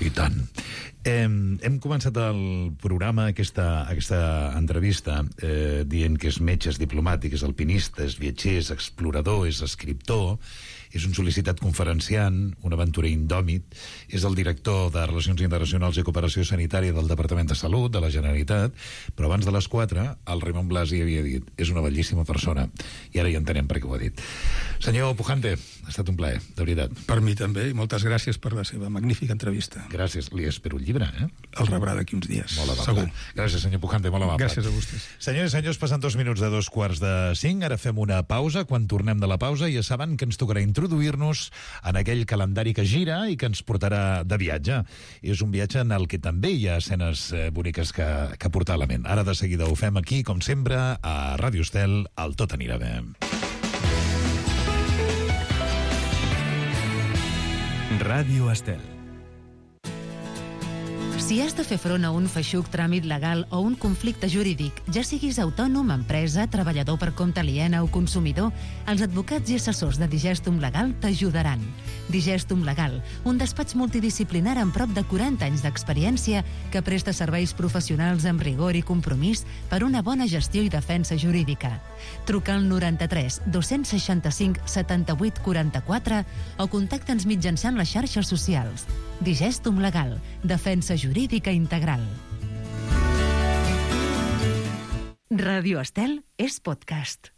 I tant. Hem, hem començat el programa, aquesta, aquesta entrevista, eh, dient que és metge, és diplomàtic, és alpinista, és viatger, és explorador, és escriptor, és un sol·licitat conferenciant, un aventurer indòmit, és el director de Relacions Internacionals i Cooperació Sanitària del Departament de Salut de la Generalitat, però abans de les quatre, el Raimon Blasi havia dit, és una bellíssima persona, i ara ja entenem per què ho ha dit. Senyor Pujante, ha estat un plaer, de veritat. Per mi també, i moltes gràcies per la seva magnífica entrevista. Gràcies, li espero un llibre, eh? El rebrà d'aquí uns dies, molt segur. Gràcies, senyor Pujante, molt amable. Gràcies a vostès. Senyors i senyors, passen dos minuts de dos quarts de cinc, ara fem una pausa. Quan tornem de la pausa ja saben que ens tocarà introduir-nos en aquell calendari que gira i que ens portarà de viatge. És un viatge en el que també hi ha escenes boniques que, que portar a la ment. Ara de seguida ho fem aquí, com sempre, a Ràdio Estel, al Tot anirà bé. Ràdio Estel. Si has de fer front a un feixuc tràmit legal o un conflicte jurídic, ja siguis autònom, empresa, treballador per compte aliena o consumidor, els advocats i assessors de Digestum Legal t'ajudaran. Digestum Legal, un despatx multidisciplinar amb prop de quaranta anys d'experiència que presta serveis professionals amb rigor i compromís per una bona gestió i defensa jurídica. Truca al noranta-tres dos-cents seixanta-cinc setanta-vuit quaranta-quatre o contacta'ns mitjançant les xarxes socials. Digestum Legal, defensa jurídica integral. Ràdio Estel és podcast.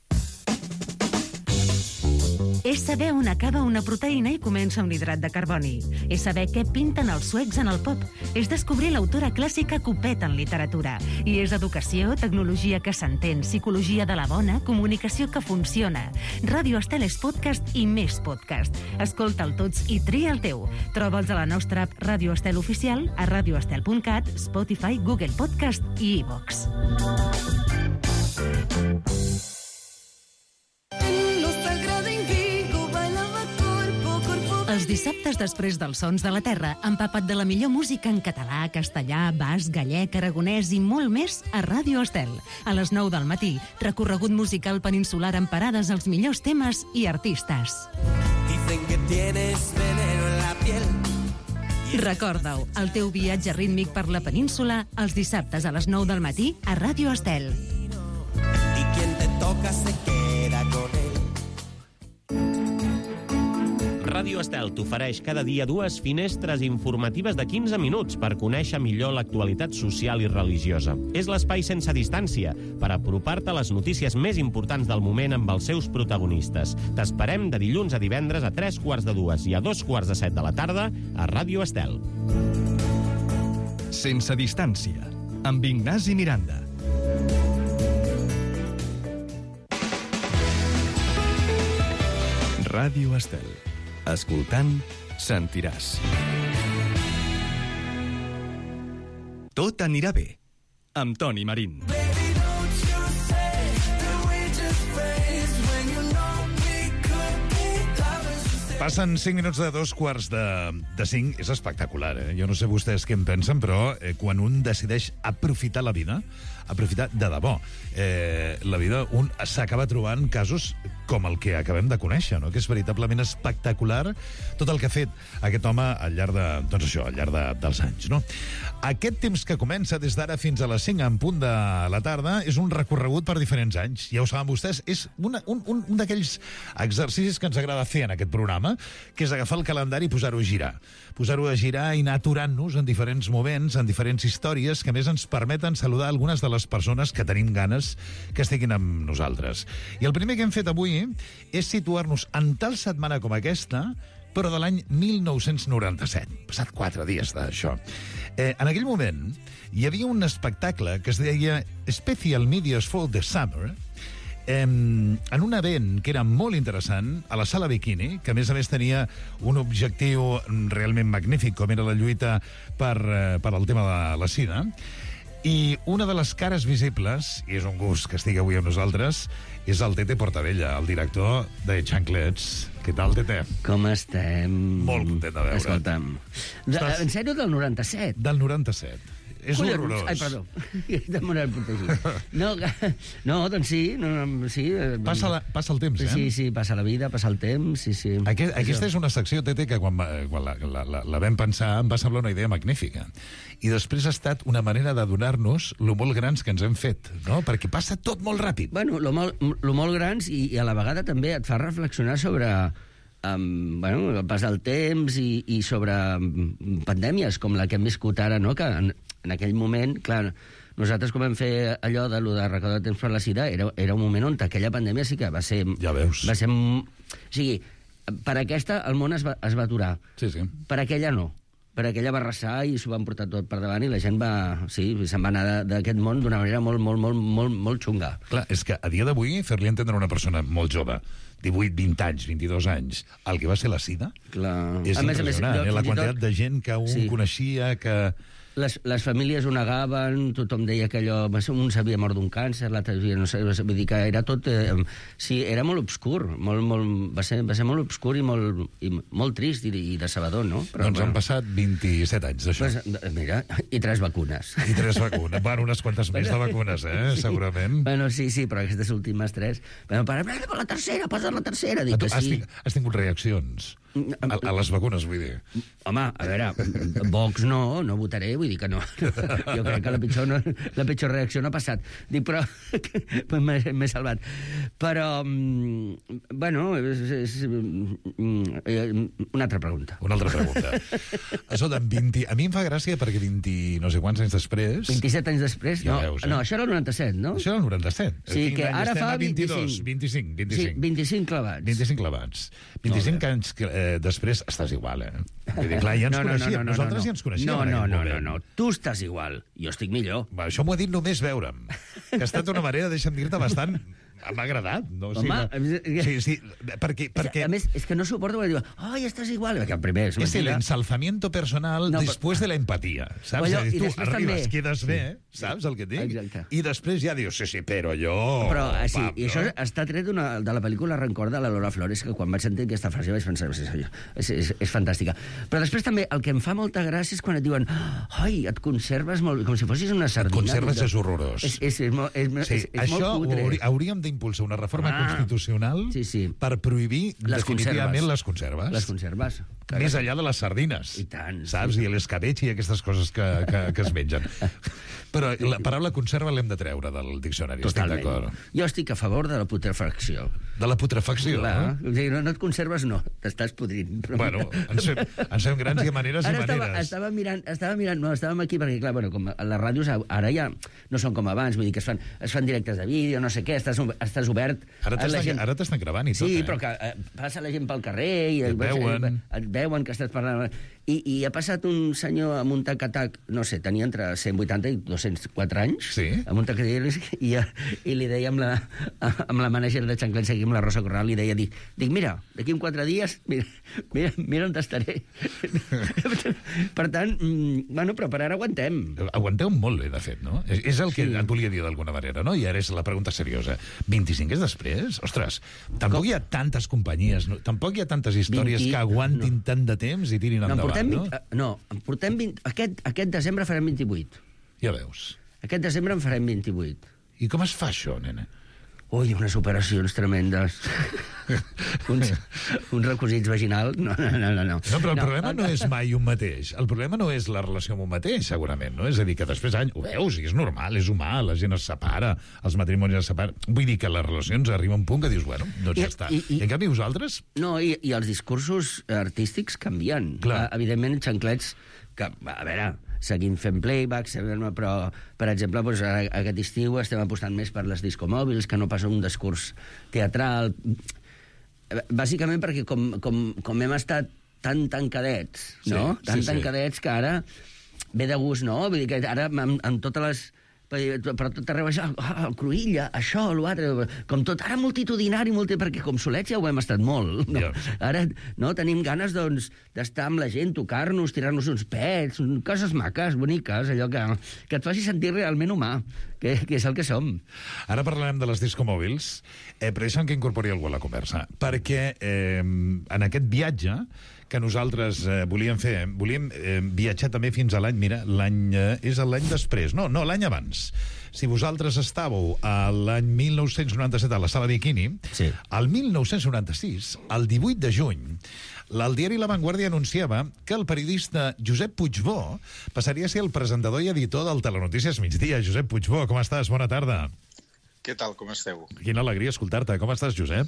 És saber on acaba una proteïna i comença un hidrat de carboni. És saber què pinten els suecs en el pop. És descobrir l'autora clàssica Copet en literatura. I és educació, tecnologia que s'entén, psicologia de la bona, comunicació que funciona. Ràdio Estel és podcast i més podcast. Escolta'l tots i tria el teu. Troba'ls a la nostra app Ràdio Estel Oficial, a radioestel punt cat, Spotify, Google Podcast i iVox. Els dissabtes després dels Sons de la Terra, empapat de la millor música en català, castellà, basc, gallec, aragonès i molt més a Ràdio Estel. A les nou del matí, recorregut musical peninsular amb parades als millors temes i artistes. Dicen que tienes veneno en la piel. Recorda-ho, el teu viatge rítmic per la península, els dissabtes a les nou del matí a Ràdio Estel. Y quien te toca se queda con él. Ràdio Estel t'ofereix cada dia dues finestres informatives de quinze minuts per conèixer millor l'actualitat social i religiosa. És l'espai sense distància per apropar-te a les notícies més importants del moment amb els seus protagonistes. T'esperem de dilluns a divendres a tres quarts de dues i a dos quarts de set de la tarda a Ràdio Estel. Sense distància, amb Ignasi Miranda. Ràdio Estel. Escoltant, sentiràs. Tot anirà bé, amb Toni Marín. Passen cinc minuts de dos quarts de, de cinc. És espectacular, eh? Jo no sé vostès què en pensen, però eh, quan un decideix aprofitar la vida, aprofitar de debò, eh, la vida, un s'acaba trobant casos com el que acabem de conèixer, no? Que és veritablement espectacular tot el que ha fet aquest home al llarg de, doncs això, al llarg de, dels anys, no? Aquest temps que comença des d'ara fins a les cinc en punt de la tarda és un recorregut per diferents anys. Ja ho saben vostès, és una, un, un, un d'aquells exercicis que ens agrada fer en aquest programa, que és agafar el calendari i posar-ho a girar. Posar-ho a girar i anar aturant-nos en diferents moments, en diferents històries, que a més ens permeten saludar algunes de les persones que tenim ganes que estiguin amb nosaltres. I el primer que hem fet avui és situar-nos en tal setmana com aquesta, però de l'any mil nou-cents noranta-set. Passat quatre dies d'això. Eh, en aquell moment hi havia un espectacle que es deia Special Medias for the Summer, eh, en un event que era molt interessant, a la Sala Bikini, que a més a més tenia un objectiu realment magnífic, com era la lluita per, eh, per al tema de la sida. I una de les cares visibles, i és un gust que estigui avui amb nosaltres, és el Tete Portabella, el director de Xanclets. Què tal, Tete? Com estem? Molt content de veure. Escolta'm. De, Estàs... En sèrio, del noranta-set? Del noranta-set. És Collons. Horrorós. Ai, perdó. De moral protegit. No, no, doncs sí. No, no, sí. Passa, la, passa el temps, eh? Sí, sí, passa la vida, passa el temps, sí, sí. Aquest, aquesta és una secció, Tete, que quan, quan la, la, la, la vam pensar em va semblar una idea magnífica. I després ha estat una manera de donar-nos lo molt grans que ens hem fet, no? Perquè passa tot molt ràpid. Bueno, lo molt, lo molt grans i, i a la vegada també et fa reflexionar sobre... Um, bueno, el pas del temps i, i sobre um, pandèmies com la que hem viscut ara, no? Que en, en aquell moment, clar, nosaltres com vam fer allò de lo de recaudar temps per la sida, era, era un moment on aquella pandèmia sí que va ser... Ja veus. Va ser, o sigui, per aquesta el món es va, es va aturar. Sí, sí. Per aquella no. Per aquella va arrasar i s'ho van portar tot per davant i la gent va... Sí, se'n va anar d'aquest món d'una manera molt, molt, molt, molt, molt xunga. Clar, és que a dia d'avui fer-li entendre a una persona molt jove, divuit, vint anys, vint-i-dos anys, el que va ser la sida, clar. És a més, impressionant, a més, eh? La quantitat tot... de gent que un sí. coneixia, que... Les, les famílies ho negaven, tothom deia que allò... Un s'havia mort d'un càncer, l'altre no sé, vull dir que era tot... Eh, sí, era molt obscur, molt, molt, va, ser, va ser molt obscur i molt, i molt trist i, i decebedor, no? Però, doncs bueno, han passat vint-i-set anys d'això. Pues, mira, i tres vacunes. I tres vacunes. Bueno, unes quantes més de vacunes, eh? Sí. Segurament. Bueno, sí, sí, però aquestes últimes tres... Bueno, para, para, la tercera, posa la tercera. Dic que has, sí. ting, has tingut reaccions? A, a les vacunes, vull dir. Home, a veure, Vox no, no votaré, vull dir que no. Jo crec que la pitjor, no, la pitjor reacció no ha passat. Dic, però m'he salvat. Però, bueno, és, és, una altra pregunta. Una altra pregunta. Escolta, vint, a mi em fa gràcia perquè vint no sé quants anys després... vint-i-set anys després? Ja no, veus, eh? No, això era el noranta-set, no? Això era el noranta-set. Sí, que ara fa vint-i-dos, vint-i-cinc, vint-i-cinc. Sí, vint-i-cinc clavats. vint-i-cinc clavats. vint-i-cinc anys que, eh, després estàs igual, eh? Vull dir, clar, ja ens no, no, coneixíem. No, no, no, Nosaltres no, no. ja ens coneixíem. No, no, no, no, no. Tu estàs igual. Jo estic millor. Va, això m'ho ha dit només veure'm. Que ha estat una manera, deixa'm dir-te, bastant... M'ha agradat. No? Home... Sí, sí, perquè, perquè... A més, és que no suporto que diu, ai, estàs igual. Perquè primer és, és el ensalzamiento personal no, després però... de la empatia. Saps? Allò, dir, tu arribes, també... quedes bé, saps el que et dic? Exacte. I després ja dius, sí, sí, però jo... Però, sí, pap, i això no? està tret una, de la pel·lícula Rencor de la Lola Flores, que quan vaig sentir aquesta frase vaig pensar, és, és, és, és fantàstica. Però després també el que em fa molta gràcia és quan et diuen, ai, et conserves molt... Com si fossis una sardina. Et conserves és horrorós. És, és, és, és, és, sí, és això molt cutre. Haurí, hauríem d'impulsar una reforma ah, constitucional sí, sí. per prohibir les definitivament conserves. les conserves. Les conserves. Més enllà de les sardines. I tant. Saps? Sí. I l'escabetx i aquestes coses que, que, que es mengen. Però la paraula conserva l'hem de treure del diccionari. Totalment. Estic d'acord. Jo estic a favor de la putrefacció. De la putrefacció, Clar, no? O sigui, no, no et conserves, no. T'estàs podrint. Però Bueno, ens fem, ens fem grans i a maneres ara i estava, maneres. estava mirant, estava mirant, no, estàvem aquí perquè, clar, bueno, com a les ràdios ara ja no són com abans, vull dir que es fan, es fan directes de vídeo, no sé què, estàs, estàs obert. Ara la t'estan gent... ara t'estan gravant i tot, sí, eh? però que eh, passa la gent pel carrer i et veuen. et veuen que estàs parlant. I, I ha passat un senyor amb un tac-a-tac, no sé, tenia entre cent vuitanta i dos-cents quatre anys, sí? amb un tac-a-tac, i, i li deia amb la, amb la mànager de Xanclens, aquí amb la Rosa Corral, li deia, dic, dic mira, d'aquí en quatre dies, mira, mira, mira on estaré. Per tant, bueno, però per ara aguantem. Aguanteu molt bé, de fet, no? És, és el que sí. et volia dir d'alguna manera, no? I ara és la pregunta seriosa. vint-i-cinc és després? Ostres, tampoc Com? hi ha tantes companyies, no? Tampoc hi ha tantes històries vint... que aguantin no. tant de temps i tirin endavant, no? no? vint... No, en portem vint... Aquest, aquest desembre farem vint-i-vuit. Ja veus. Aquest desembre en farem vint-i-vuit. I com es fa això, nena? Ui, unes operacions tremendes. uns, uns requisits vaginals. No, no, no, no. No, però el no, problema no és mai un mateix. El problema no és la relació amb un mateix, segurament, no? És a dir, que després d'any, ho veus, i és normal, és humà, la gent es separa, els matrimonis es separen. Vull dir que les relacions arriben a un punt que dius, bueno, doncs I, ja està. I, i, I en canvi, vosaltres... No, i, i els discursos artístics canvien. Clar. Evidentment, xanclets, que, a veure... seguim fent playback, però, per exemple, doncs, aquest estiu estem apostant més per les discomòbils, que no pas un discurs teatral. Bàsicament perquè com, com, com hem estat tan tancadets, no? Sí, tan sí, tancadets sí. que ara ve de gust, no? Vull dir que ara, amb, amb totes les... però tot arreu això, oh, el Cruïlla, això, l'altre, com tot, ara multitudinari, multi, perquè com solets ja ho hem estat molt. No? Yeah. Ara no, tenim ganes doncs, d'estar amb la gent, tocar-nos, tirar-nos uns pets, coses maques, boniques, allò que, que et faci sentir realment humà, que, que és el que som. Ara parlarem de les discomòbils, eh, però deixa'm que incorpori algú a la conversa, perquè eh, en aquest viatge que nosaltres eh, volíem fer, volíem eh, viatjar també fins a l'any, mira, l'any eh, és l'any després, no, no, l'any abans. Si vosaltres estàveu a l'any mil nou-cents noranta-set a la Sala Bikini, sí. el mil nou-cents noranta-sis, el divuit de juny, el diari La Vanguardia anunciava que el periodista Josep Puigbó passaria a ser el presentador i editor del Telenotícies Migdia. Josep Puigbó, com estàs? Bona tarda. Què tal, com esteu? Quina alegria escoltar-te. Com estàs, Josep?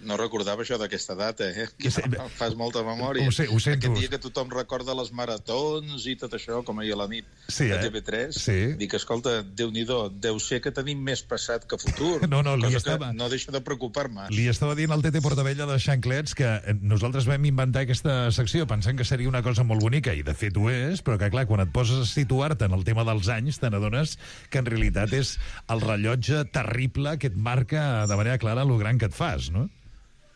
No recordava això d'aquesta data, eh? Que no, fas molta memòria. Ho, sé, ho sento. Aquest dia que tothom recorda les maratons i tot això, com ahir a la nit sí, de eh? T V tres. Sí. Dic, escolta, Déu-n'hi-do, deu ser que tenim més passat que futur. No, no, li cosa estava... que no deixa de preocupar-me. Li estava dient al Tete Portabella de Xanclets que nosaltres vam inventar aquesta secció pensant que seria una cosa molt bonica, i de fet ho és, però que, clar, quan et poses a situar-te en el tema dels anys, te n'adones que en realitat és el rellotge terrible que et marca de manera clara lo gran que et fas, no?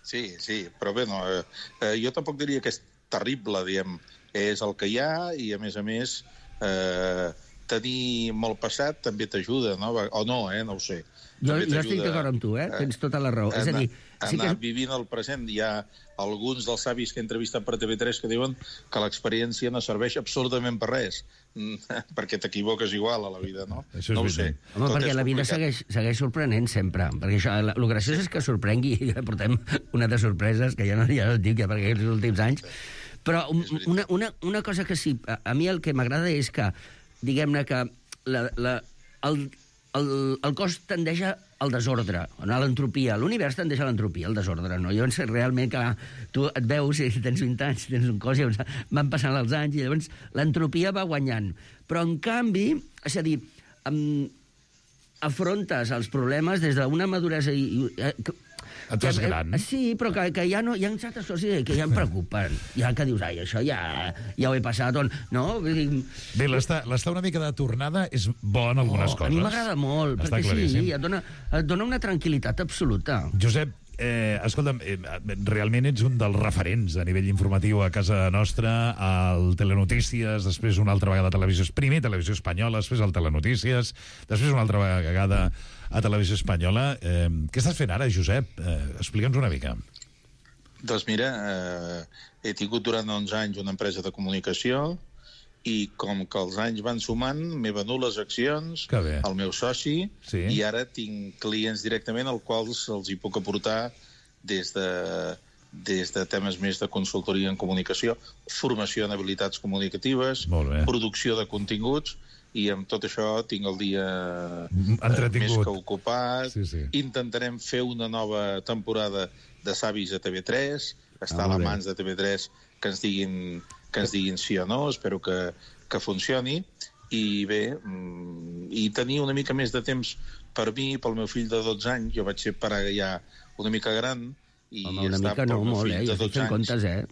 Sí, sí, però bé, no, eh, eh, jo tampoc diria que és terrible, diem, és el que hi ha, i a més a més eh, tenir molt passat també t'ajuda, no? O no, eh, no ho sé. Jo, jo estic d'acord amb tu, eh? Tens tota la raó. Anar, és a dir, sí anar que... vivint el present. Hi ha alguns dels savis que he entrevistat per T V tres que diuen que l'experiència no serveix absolutament per res, perquè t'equivoques igual a la vida, no? Això no ho sé. Home, Tot perquè la vida segueix, segueix sorprenent sempre. Perquè això, el graciós és que sorprengui, portem una de sorpreses que ja no, ja no et dic, ja perquè els últims anys. Però una, una, una cosa que sí, a, a mi el que m'agrada és que, diguem-ne que la, la, el, el, el cos tendeix al desordre, a l'entropia. L'univers tendeix a l'entropia, al desordre, no? Llavors, realment, que tu et veus, si tens vint anys, tens un cos, i van passant els anys, i llavors l'entropia va guanyant. Però, en canvi, és a dir, um, afrontes els problemes des d'una maduresa i... i et fas gran. Sí, però que, que ja no, hi ha certes coses que ja em preocupen. Ja que dius, ai, això ja, ja ho he passat, on, no? Bé, l'estar una mica de tornada és bo en algunes oh, coses. A mi m'agrada molt, Està perquè claríssim. sí, et dona, et dona una tranquil·litat absoluta. Josep, eh, escolta'm, eh, realment ets un dels referents a nivell informatiu a casa nostra, al Telenotícies, després una altra vegada a Televisió, primer Televisió Espanyola, després al Telenotícies, després una altra vegada a Televisió Espanyola. Eh, què estàs fent ara, Josep? Eh, Explica'ns una mica. Doncs mira, eh, he tingut durant onze anys una empresa de comunicació i com que els anys van sumant, m'he venut les accions al meu soci sí. i ara tinc clients directament als quals els hi puc aportar des de des de temes més de consultoria en comunicació, formació en habilitats comunicatives, producció de continguts, i amb tot això tinc el dia eh, més que ocupat. Sí, sí. Intentarem fer una nova temporada de Savis a T V tres, està ah, a les mans de T V tres que ens diguin, que ens diguin sí o no, espero que, que funcioni, i bé, i tenir una mica més de temps per mi, pel meu fill de dotze anys. Jo vaig ser pare ja una mica gran, i home, una mica no, molt, eh? Jo estic fent comptes, eh?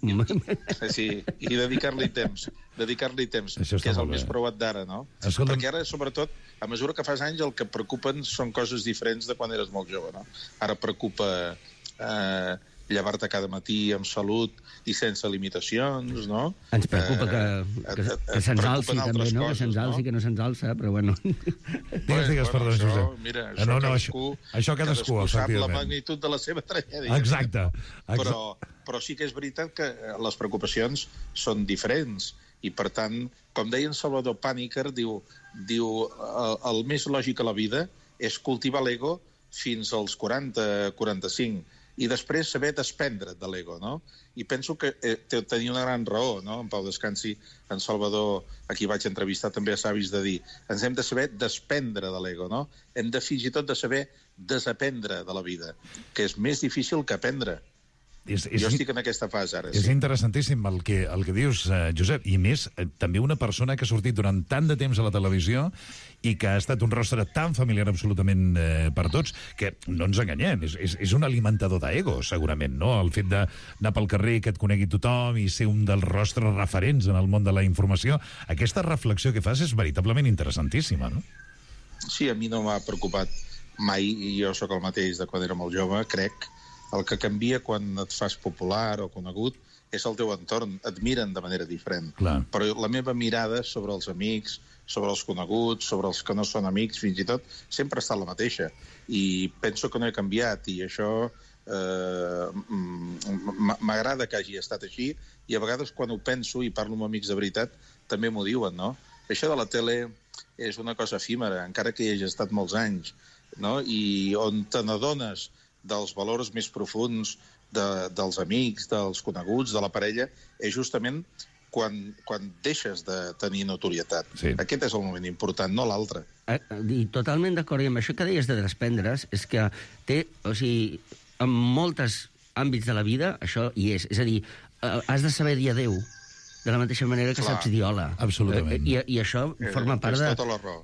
Sí, i dedicar-li temps, dedicar-li temps, que és el més preuat d'ara, no? Escolta... Perquè ara, sobretot, a mesura que fas anys, el que preocupen són coses diferents de quan eres molt jove, no? Ara preocupa eh, llevar-te cada matí amb salut i sense limitacions, no? Ens preocupa que, que, que se'ns alci també, no? Que se'ns alci, que no se'ns alça, però bueno. Digues, digues, perdó, Josep. Mira, això, no, no, cadascú, això cadascú, cadascú sap la magnitud de la seva tragèdia. Exacte. Però, però sí que és veritat que les preocupacions són diferents, i per tant, com deia en Salvador Pàniker, diu, diu el, el més lògic a la vida és cultivar l'ego fins als quaranta quaranta-cinc, i després saber desprendre't de l'ego, no? I penso que eh, tenia una gran raó, no? En Pau descansi, en Salvador, a qui vaig entrevistar també a Savis, de dir, ens hem de saber desprendre de l'ego, no? Hem de fins i tot de saber desaprendre de la vida, que és més difícil que aprendre. És, és, jo estic en aquesta fase ara. És sí. interessantíssim el que, el que dius, eh, Josep, i més, eh, també una persona que ha sortit durant tant de temps a la televisió i que ha estat un rostre tan familiar absolutament eh, per tots, que no ens enganyem, és, és, és un alimentador d'ego, segurament, no? El fet d'anar pel carrer, que et conegui tothom i ser un dels rostres referents en el món de la informació, aquesta reflexió que fas és veritablement interessantíssima, no? Sí, a mi no m'ha preocupat mai, i jo sóc el mateix de quan era molt jove, crec. El que canvia quan et fas popular o conegut és el teu entorn. Et miren de manera diferent. Clar. Però la meva mirada sobre els amics, sobre els coneguts, sobre els que no són amics, fins i tot, sempre ha estat la mateixa. I penso que no he canviat, i això eh, m'agrada que hagi estat així, i a vegades quan ho penso i parlo amb amics de veritat també m'ho diuen, no? Això de la tele és una cosa efímera, encara que hi hagi estat molts anys, no? I on te n'adones dels valors més profuns de, dels amics, dels coneguts, de la parella, és justament quan, quan deixes de tenir notorietat. Sí. Aquest és el moment important, no l'altre. I totalment d'acord, i amb això que deies de desprendre's, és que té, o sigui, en molts àmbits de la vida, això hi és. És a dir, has de saber dir adéu, de la mateixa manera que Clar. Saps dir hola. Absolutament. I, i això forma part de... Tota la raó.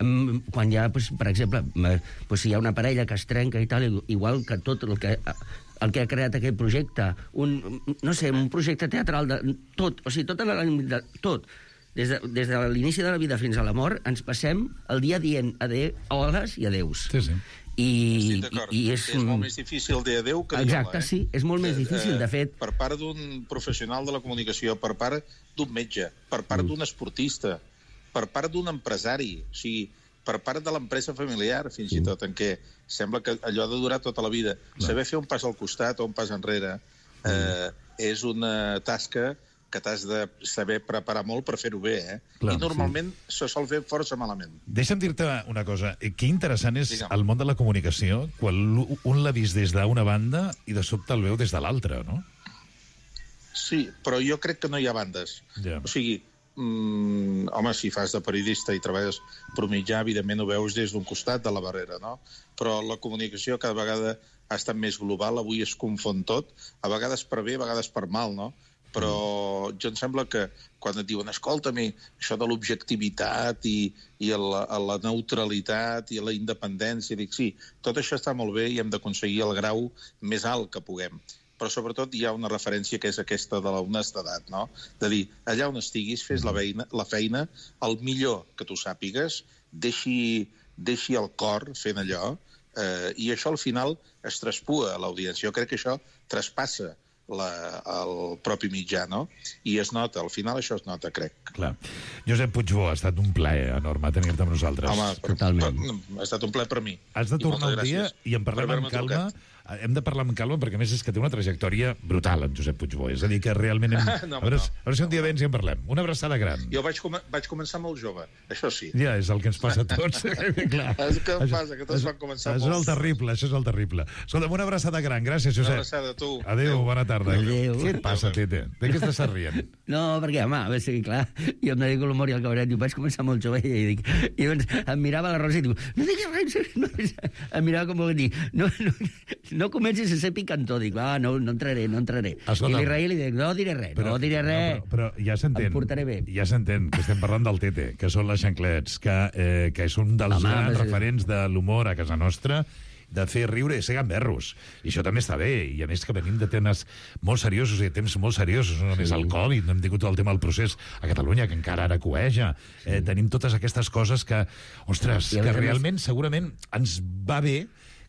Quan hi ha, doncs, per exemple, doncs, si hi ha una parella que es trenca i tal, igual que tot el que, el que ha creat aquest projecte, un, no sé, un projecte teatral, de, tot, o sigui, tot, de, tot, des de, des de l'inici de la vida fins a la mort, ens passem el dia dient adéu, holes i adeus. Sí, sí. I, i és... és molt més difícil dir adéu que dir hola. Exacte, sí, és molt més difícil, de fet. Per part d'un professional de la comunicació, per part d'un metge, per part d'un esportista, per part d'un empresari, o sigui, per part de l'empresa familiar, fins i tot, en què sembla que allò ha de durar tota la vida. Saber fer un pas al costat o un pas enrere eh, és una tasca que t'has de saber preparar molt per fer-ho bé, eh? Clar, I normalment sí. se sol fer força malament. Deixa'm dir-te una cosa. Que interessant és Digue'm. el món de la comunicació, quan un l'ha vist des d'una banda i de sobte el veu des de l'altra, no? Sí, però jo crec que no hi ha bandes. Yeah. O sigui, mm, home, si fas de periodista i treballes per mitjà, evidentment ho veus des d'un costat de la barrera, no? Però la comunicació cada vegada ha estat més global, avui es confon tot, a vegades per bé, a vegades per mal, no? Però jo em sembla que quan et diuen escolta-mi, això de l'objectivitat i, i la, la neutralitat i la independència, dic sí, tot això està molt bé i hem d'aconseguir el grau més alt que puguem. Però sobretot hi ha una referència que és aquesta de l'honestedat, no? De dir, allà on estiguis, fes la feina, la feina el millor que tu sàpigues, deixi, deixi el cor fent allò, eh, i això al final es traspua a l'audiència. Jo crec que això traspassa La, el propi mitjà, no? I es nota, al final això es nota, crec. Clar. Josep Puigbó, ha estat un plaer enorme tenir-te amb nosaltres. Home, totalment. Per, ha estat un plaer per mi. Has de tornar un dia i en parlem amb calma. Trucat. Hem de parlar amb calma perquè, a més, és que té una trajectòria brutal, en Josep Puigbó. És a dir, que realment hem... no, a, veure, no. a veure si un dia vens i en parlem. Una abraçada gran. Jo vaig, com vaig començar molt jove, això sí. Ja, és el que ens passa a tots. Clar. És el que em passa, que tots van començar molt. Això és el terrible, això és el terrible. Escolta'm, una abraçada gran. Gràcies, Josep. Una abraçada a tu. Adéu, bona tarda. tarda. Adéu. Què et passa, Tete? De què estàs rient? No, perquè, home, a veure, sí, clar, jo em dedico a l'humor i al cabaret, diu, vaig començar molt jove i dic, i doncs em mirava la Rosa i diu, no diguis res, no, em mirava com vol dir, no, no, no comencis a ser picantó, dic, ah, no, no entraré, no entraré. Escolta, I l'Israel li dic, no diré res, però, no diré res. No, però, però ja s'entén. Em portaré bé. Ja s'entén que estem parlant del Tete, que són les xanclets, que, eh, que és un dels Home, grans però... referents de l'humor a casa nostra, de fer riure i ser gamberros. I això també està bé. I a més que venim de temes molt seriosos i de temps molt seriosos. No només sí. el Covid, no hem tingut tot el tema del procés a Catalunya, que encara ara coeja. Sí. Eh, tenim totes aquestes coses que, ostres, que realment, segurament, ens va bé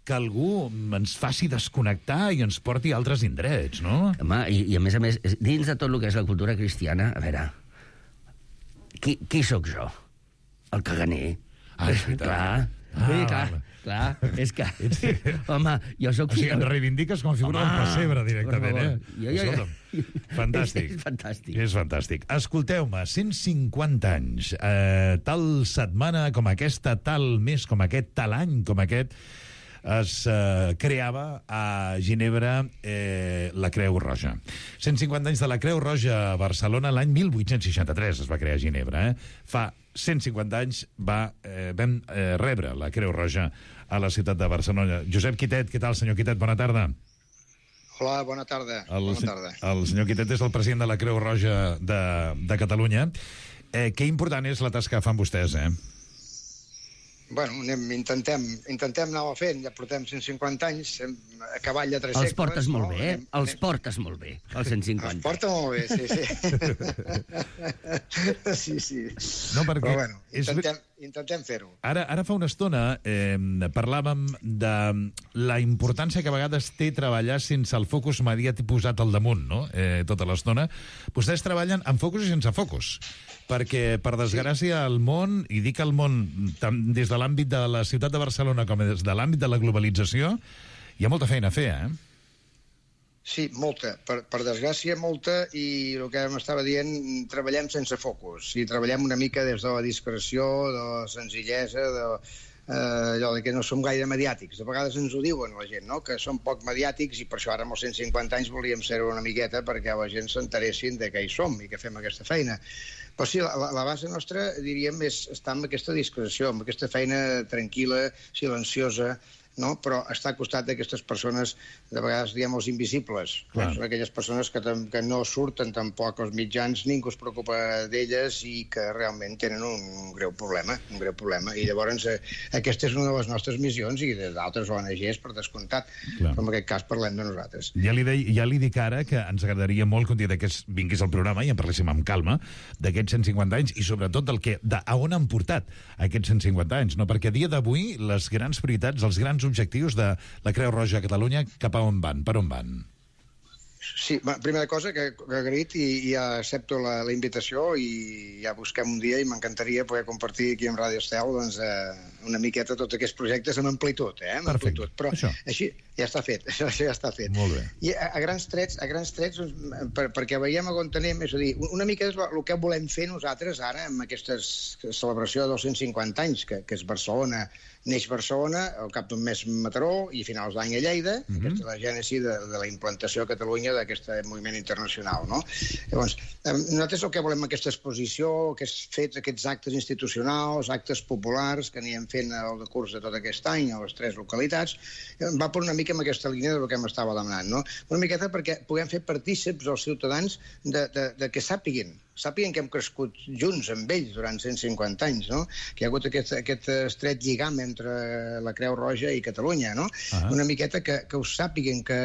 que algú ens faci desconnectar i ens porti a altres indrets, no? Home, i, i a més a més, dins de tot el que és la cultura cristiana, a veure, qui, qui sóc jo? El caganer. Ah, és veritat. Clar, ah, sí, clar, clar, és que... Home, jo sóc... O sigui, em reivindiques com a figura del pessebre directament, eh? Jo, jo, jo. Fantàstic. És, és fantàstic. És fantàstic. Escolteu-me, cent cinquanta anys, eh, tal setmana com aquesta, tal mes com aquest, tal any com aquest, es eh, creava a Ginebra eh, la Creu Roja. cent cinquanta anys de la Creu Roja a Barcelona, l'any mil vuit-cents seixanta-tres es va crear a Ginebra. Eh? Fa cent cinquanta anys va, eh, vam eh, rebre la Creu Roja a la ciutat de Barcelona. Josep Quitet, què tal, senyor Quitet? Bona tarda. Hola, bona tarda. El, bona tarda. El senyor Quitet és el president de la Creu Roja de, de Catalunya. Eh, que important és la tasca que fan vostès, eh? Bueno, anem, intentem, intentem anar fent, ja portem cent cinquanta anys, a cavall de tres els segles. Els portes molt no? bé, eh? Anem, els anem... portes molt bé, els cent cinquanta. Els porta molt bé, sí, sí. sí, sí. No, perquè... Però bueno, intentem, és... intentem fer-ho. Ara, ara fa una estona eh, parlàvem de la importància que a vegades té treballar sense el focus mediàtic posat al damunt, no?, eh, tota l'estona. Vostès treballen amb focus i sense focus, perquè, per desgràcia, el món, i dic el món tant des de l'àmbit de la ciutat de Barcelona com des de l'àmbit de la globalització, hi ha molta feina a fer, eh? Sí, molta. Per, per desgràcia, molta, i el que m'estava dient, treballem sense focus, i treballem una mica des de la discreció, de la senzillesa, de, eh, allò de que no som gaire mediàtics. De vegades ens ho diuen la gent, no?, que som poc mediàtics, i per això ara amb els cent cinquanta anys volíem ser una miqueta perquè la gent s'enteressin de què hi som i que fem aquesta feina. Però sí, la, la base nostra, diríem, és estar amb aquesta discreció, amb aquesta feina tranquil·la, silenciosa, no? Però està al costat d'aquestes persones, de vegades diem els invisibles. Clar. Són aquelles persones que, que no surten tampoc als mitjans, ningú es preocupa d'elles i que realment tenen un greu problema, un greu problema. I llavors eh, aquesta és una de les nostres missions, i d'altres O N Ges, per descomptat. Clar. Però en aquest cas parlem de nosaltres. Ja li, de, ja li dic ara que ens agradaria molt que un dia d'aquests vinguis al programa i en parléssim amb calma d'aquests cent cinquanta anys i sobretot del que, de, a on han portat aquests cent cinquanta anys, no? Perquè a dia d'avui les grans prioritats, els grans objectius de la Creu Roja a Catalunya, cap a on van? Per on van? Sí, primera cosa, que, que agraït i, i ja accepto la, la invitació i ja busquem un dia i m'encantaria poder compartir aquí amb Ràdio Estel doncs, eh, una miqueta tots aquests projectes amb amplitud, eh? Amb Perfecte. amplitud. Però això. Així ja està fet, això ja està fet. Molt bé. I a, a grans trets, a grans trets doncs, per, perquè veiem on anem, és a dir, una mica és el que volem fer nosaltres ara amb aquesta celebració dels cent cinquanta anys, que, que és Barcelona, neix Barcelona, al cap d'un mes Mataró i a finals d'any a Lleida, mm-hmm. Aquesta és la gènesi de, de la implantació a Catalunya d'aquest moviment internacional, no? Llavors, nosaltres el que volem amb aquesta exposició, aquests fets, aquests actes institucionals, actes populars que anirem fent al decurs de tot aquest any a les tres localitats, va per una mica amb aquesta línia del que m'estava demanant, no? Una miqueta perquè puguem fer partícips als ciutadans de, de, de que sàpiguen sàpiguen que hem crescut junts amb ells durant cent cinquanta anys, no? Que hi ha hagut aquest, aquest estret lligam entre la Creu Roja i Catalunya, no? Uh-huh. Una miqueta que, que us sàpiguen que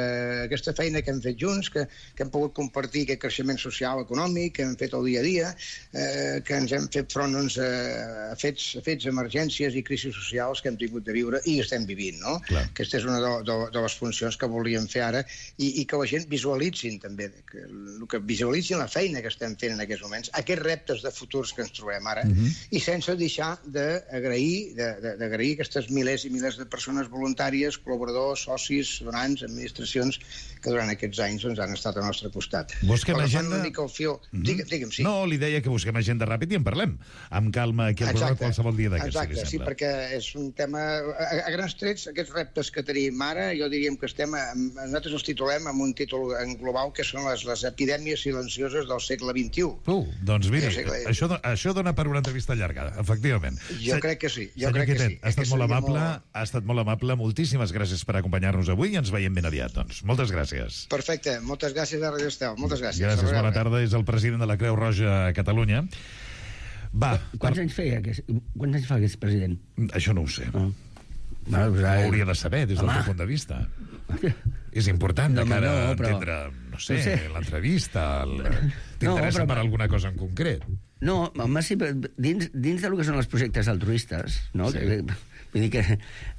aquesta feina que hem fet junts, que, que hem pogut compartir aquest creixement social, econòmic, que hem fet el dia a dia, eh, que ens hem fet front doncs, a, fets, a fets, emergències i crisis socials que hem tingut de viure i estem vivint, no? Clar. Aquesta és una de, de, de les funcions que volíem fer ara i, i que la gent visualitzin també, que, que visualitzin la feina que estem fent en aquests més o menys, aquests reptes de futurs que ens trobem ara, Mhm. i sense deixar d'agrair d'agrair aquestes milers i milers de persones voluntàries, col·laboradors, socis, donants, administracions, que durant aquests anys doncs, han estat al nostre costat. Busquem Agafant agenda... una mica el fil... Mhm. Digue, digue'm, sí. No, li deia que busquem agenda ràpid i en parlem. Amb calma aquí al programa qualsevol dia d'aquests, si li Exacte, sí, sembla. perquè és un tema... A, a grans trets, aquests reptes que tenim ara, jo diríem que estem... Nosaltres els titulem amb un títol en global que són les, les epidèmies silencioses del segle vint-i-u. Uh, doncs miri, segle... això, això dona per una entrevista llarga, efectivament. Jo Se... crec que sí, jo Senyor crec que Quitet, sí. ha estat que molt seria amable, molt... ha estat molt amable. Moltíssimes gràcies per acompanyar-nos avui i ens veiem ben aviat, doncs. Moltes gràcies. Perfecte, moltes gràcies a Radio Estel, moltes gràcies. Gràcies, bona tarda. És el president de la Creu Roja a Catalunya. Va. Quants anys feia aquest, quants anys fa aquest president? Això no ho sé. Oh. Bueno, pues, Ho hauria de saber des del Home. teu punt de vista. És important de No, cara a no, però- entendre, no sé, no sé. l'entrevista, el... t'interessa No, però- per alguna cosa en concret. No, home, sí, però dins, dins del que són els projectes altruistes, no? Sí. Que, vull dir que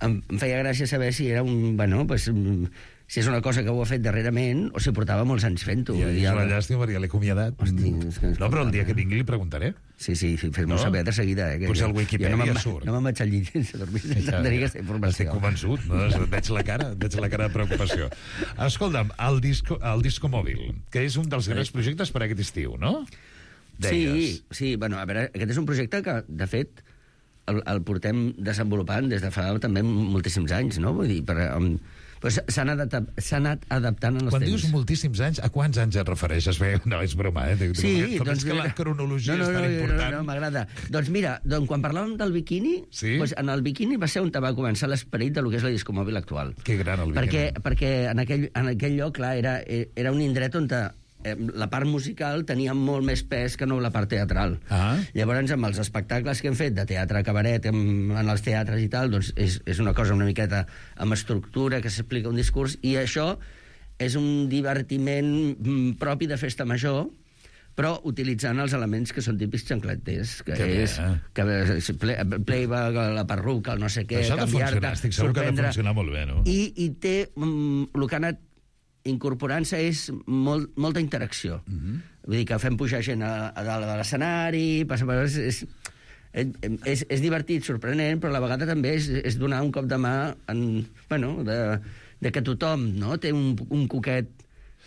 em, em feia gràcia saber si era un... Bueno, pues, mm, si és una cosa que ho ha fet darrerament o si portava molts anys fent-ho. Ja, Vull dir, és una el- llàstima perquè l'he acomiadat. Hosti, és que... No, però el dia que vingui li preguntaré. Sí, sí, sí fes-m'ho No? saber de seguida. Eh, que Potser jo- el Wikipedia jo no me'n- surt. No me'n vaig al llit sense dormir, sense Ja, tenir ja. aquesta informació. Estic convençut, no? Veig la cara, veig la cara de preocupació. Escolta'm, el disco, el disco mòbil, que és un dels grans projectes per aquest estiu, no? Sí, sí, bueno, a veure, aquest és un projecte que, de fet, el, el portem desenvolupant des de fa també moltíssims anys, no? Vull dir, per, um, però s'ha anat, anat adaptant en els Quan temps. dius moltíssims anys, a quants anys et refereixes? Bé, no, és broma, eh? Sí, Com doncs... és que la cronologia no, no, és tan no, important. No, no, m'agrada. Doncs mira, doncs quan parlàvem del biquini, Sí? doncs en el biquini va ser on va començar l'esperit del que és la discomòbil actual. Que gran, el Perquè, biquini. perquè en, aquell, en aquell lloc, clar, era, era un indret on te, eh, la part musical tenia molt més pes que no la part teatral. Ah. Llavors, amb els espectacles que hem fet de teatre cabaret en, en els teatres i tal, doncs és, és una cosa una miqueta amb estructura, que s'explica un discurs, i això és un divertiment mm, propi de festa major, però utilitzant els elements que són típics xancleters, que Que bé, és eh? que és ple, playback, la perruca, el no sé què, Això ha de canviar-te, funcionar, estic segur que ha de sorprendre. funcionar molt bé, no? I, i té... Mm, el que ha anat incorporant-se és molt, molta interacció. Mhm. Mm -hmm. Vull dir que fem pujar gent a, a dalt de l'escenari, passa per... És, és, és, és divertit, sorprenent, però a la vegada també és, és donar un cop de mà en, bueno, de, de que tothom, no?, té un, un coquet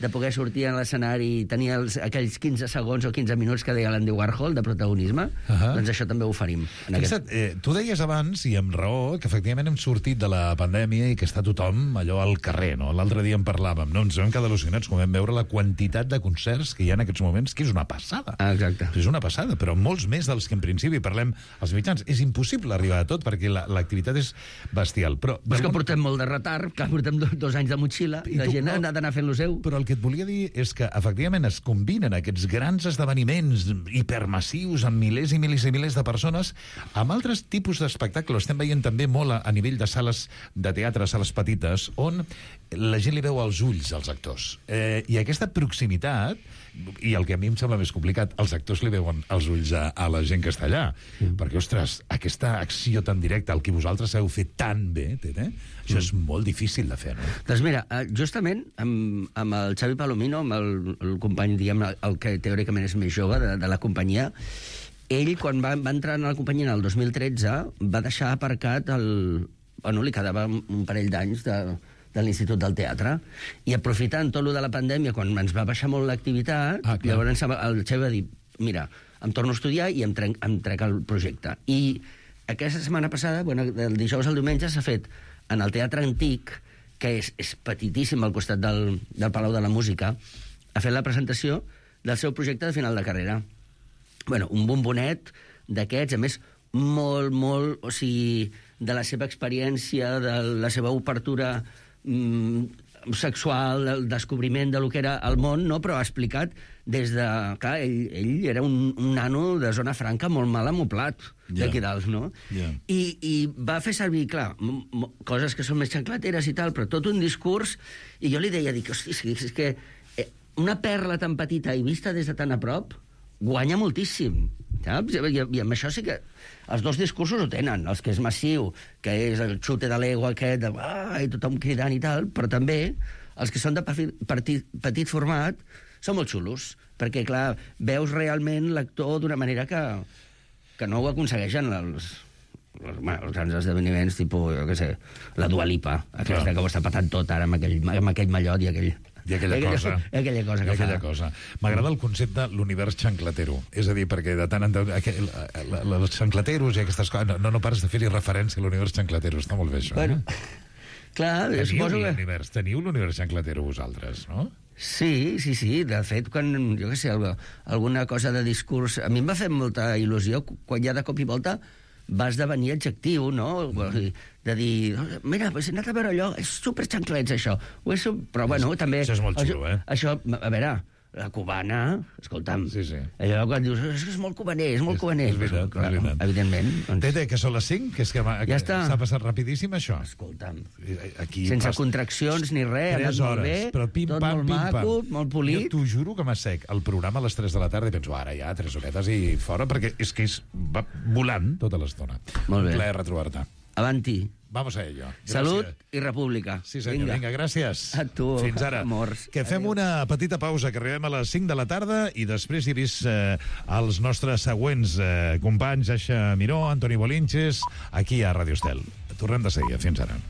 de poder sortir a l'escenari i tenir els, aquells quinze segons o quinze minuts que deia l'Andy Warhol de protagonisme, Uh -huh. doncs això també ho oferim. En Fixa't, eh, tu deies abans, i amb raó, que efectivament hem sortit de la pandèmia i que està tothom allò al carrer, no? L'altre dia en parlàvem, no? Ens vam quedar al·lucinats quan vam veure la quantitat de concerts que hi ha en aquests moments, que és una passada. Ah, exacte. És una passada, però molts més dels que en principi parlem als mitjans. És impossible arribar a tot perquè la- l'activitat és bestial. Però, Però és que d'algun- portem molt de retard, que portem do, dos anys de motxilla, I la tu- gent no, ha d'anar fent lo seu. Però el que et volia dir és que, efectivament, es combinen aquests grans esdeveniments hipermassius amb milers i milers i milers de persones amb altres tipus d'espectacle. Estem veient també molt a, a nivell de sales de teatre, sales petites, on la gent li veu als ulls als actors. Eh, I aquesta proximitat, i el que a mi em sembla més complicat, els actors li veuen als ulls a, a la gent que està allà. Mm. Perquè, ostres, aquesta acció tan directa, el que vosaltres sabeu fer tan bé, eh? això mm. és molt difícil de fer, no? Doncs mira, eh, justament amb, amb el Xavi Palomino, amb el, el company, diguem, el que teòricament és més jove de, de la companyia, ell, quan va, va entrar en la companyia el dos mil tretze, va deixar aparcat el... Bueno, li quedava un parell d'anys de, de l'Institut del Teatre, i aprofitant tot lo de la pandèmia, quan ens va baixar molt l'activitat, ah, llavors el Xavi va dir, mira, em torno a estudiar i em trec, em trec el projecte. I aquesta setmana passada, bueno, del dijous al diumenge, s'ha fet en el Teatre Antic, que és, és petitíssim al costat del, del Palau de la Música, ha fet la presentació del seu projecte de final de carrera. Bueno, un bombonet d'aquests, a més, molt, molt, o sigui, de la seva experiència, de la seva obertura mm, sexual, del descobriment de lo que era el món, no? Però ha explicat des de... Clar, ell, ell era un, un nano de zona franca molt mal amoplat, Ja. d'aquí dalt, no? Ja. I, I va fer servir, clar, m m coses que són més xanclateres i tal, però tot un discurs, i jo li deia, dic, hosti, és que eh, una perla tan petita i vista des de tan a prop guanya moltíssim, saps? I, i amb això sí que els dos discursos ho tenen, els que és massiu, que és el xute de l'ego aquest, de, ah, i tothom cridant i tal, però també els que són de petit, petit format, són molt xulos, perquè, clar, veus realment l'actor d'una manera que, que no ho aconsegueixen els, els, bueno, els grans esdeveniments, tipus, jo què sé, la Dua Lipa, aquesta clar. Que ho està patant tot ara amb aquell, amb aquell mallot i aquell... I aquella, aquella cosa. Aquella cosa que I aquella fa. cosa. M'agrada el concepte l'univers xanclatero. És a dir, perquè de tant en tant... Aquell, els xanclateros i aquestes coses... No, no pares de fer-hi referència a l'univers xanclatero. Està molt bé, això. Bueno, eh? clar, teniu suposo que... l'univers, teniu l'univers xanclatero vosaltres, no? Sí, sí, sí. De fet, quan, jo què sé, alguna cosa de discurs... A mi em va fer molta il·lusió quan ja de cop i volta va esdevenir adjectiu, no? Mm. De dir, mira, pues he anat a veure allò, és superxanclets, això. Ho és, però, bueno, també... Això és molt xulo, eh? Això, a veure, la cubana, escolta'm, sí, sí. allò quan dius, és que és molt cubaner, és molt cubaner. És veritat, clar, és veritat. Evidentment. Doncs... Tete, que són les cinc? Que és que ja està. S'ha passat rapidíssim, això? Escolta'm, aquí sense pas... contraccions ni res, ha anat molt bé, però pim, tot pam, molt pim, maco, pam. molt polit. Jo t'ho juro que m'assec el programa a les tres de la tarda i penso, ara ja, tres horetes i fora, perquè és que és, va volant tota l'estona. Molt bé. Un plaer retrobar-te. Avanti. Vamos a ello. Gràcies. Salut i república. Sí, senyor, vinga, vinga gràcies. A tu, fins ara. amors. Que fem Adéu. una petita pausa, que arribem a les cinc de la tarda i després hi he vist eh, els nostres següents eh, companys, Aixa Miró, Antoni Bolinches, aquí a Radio Estel. Tornem de seguida. Fins ara.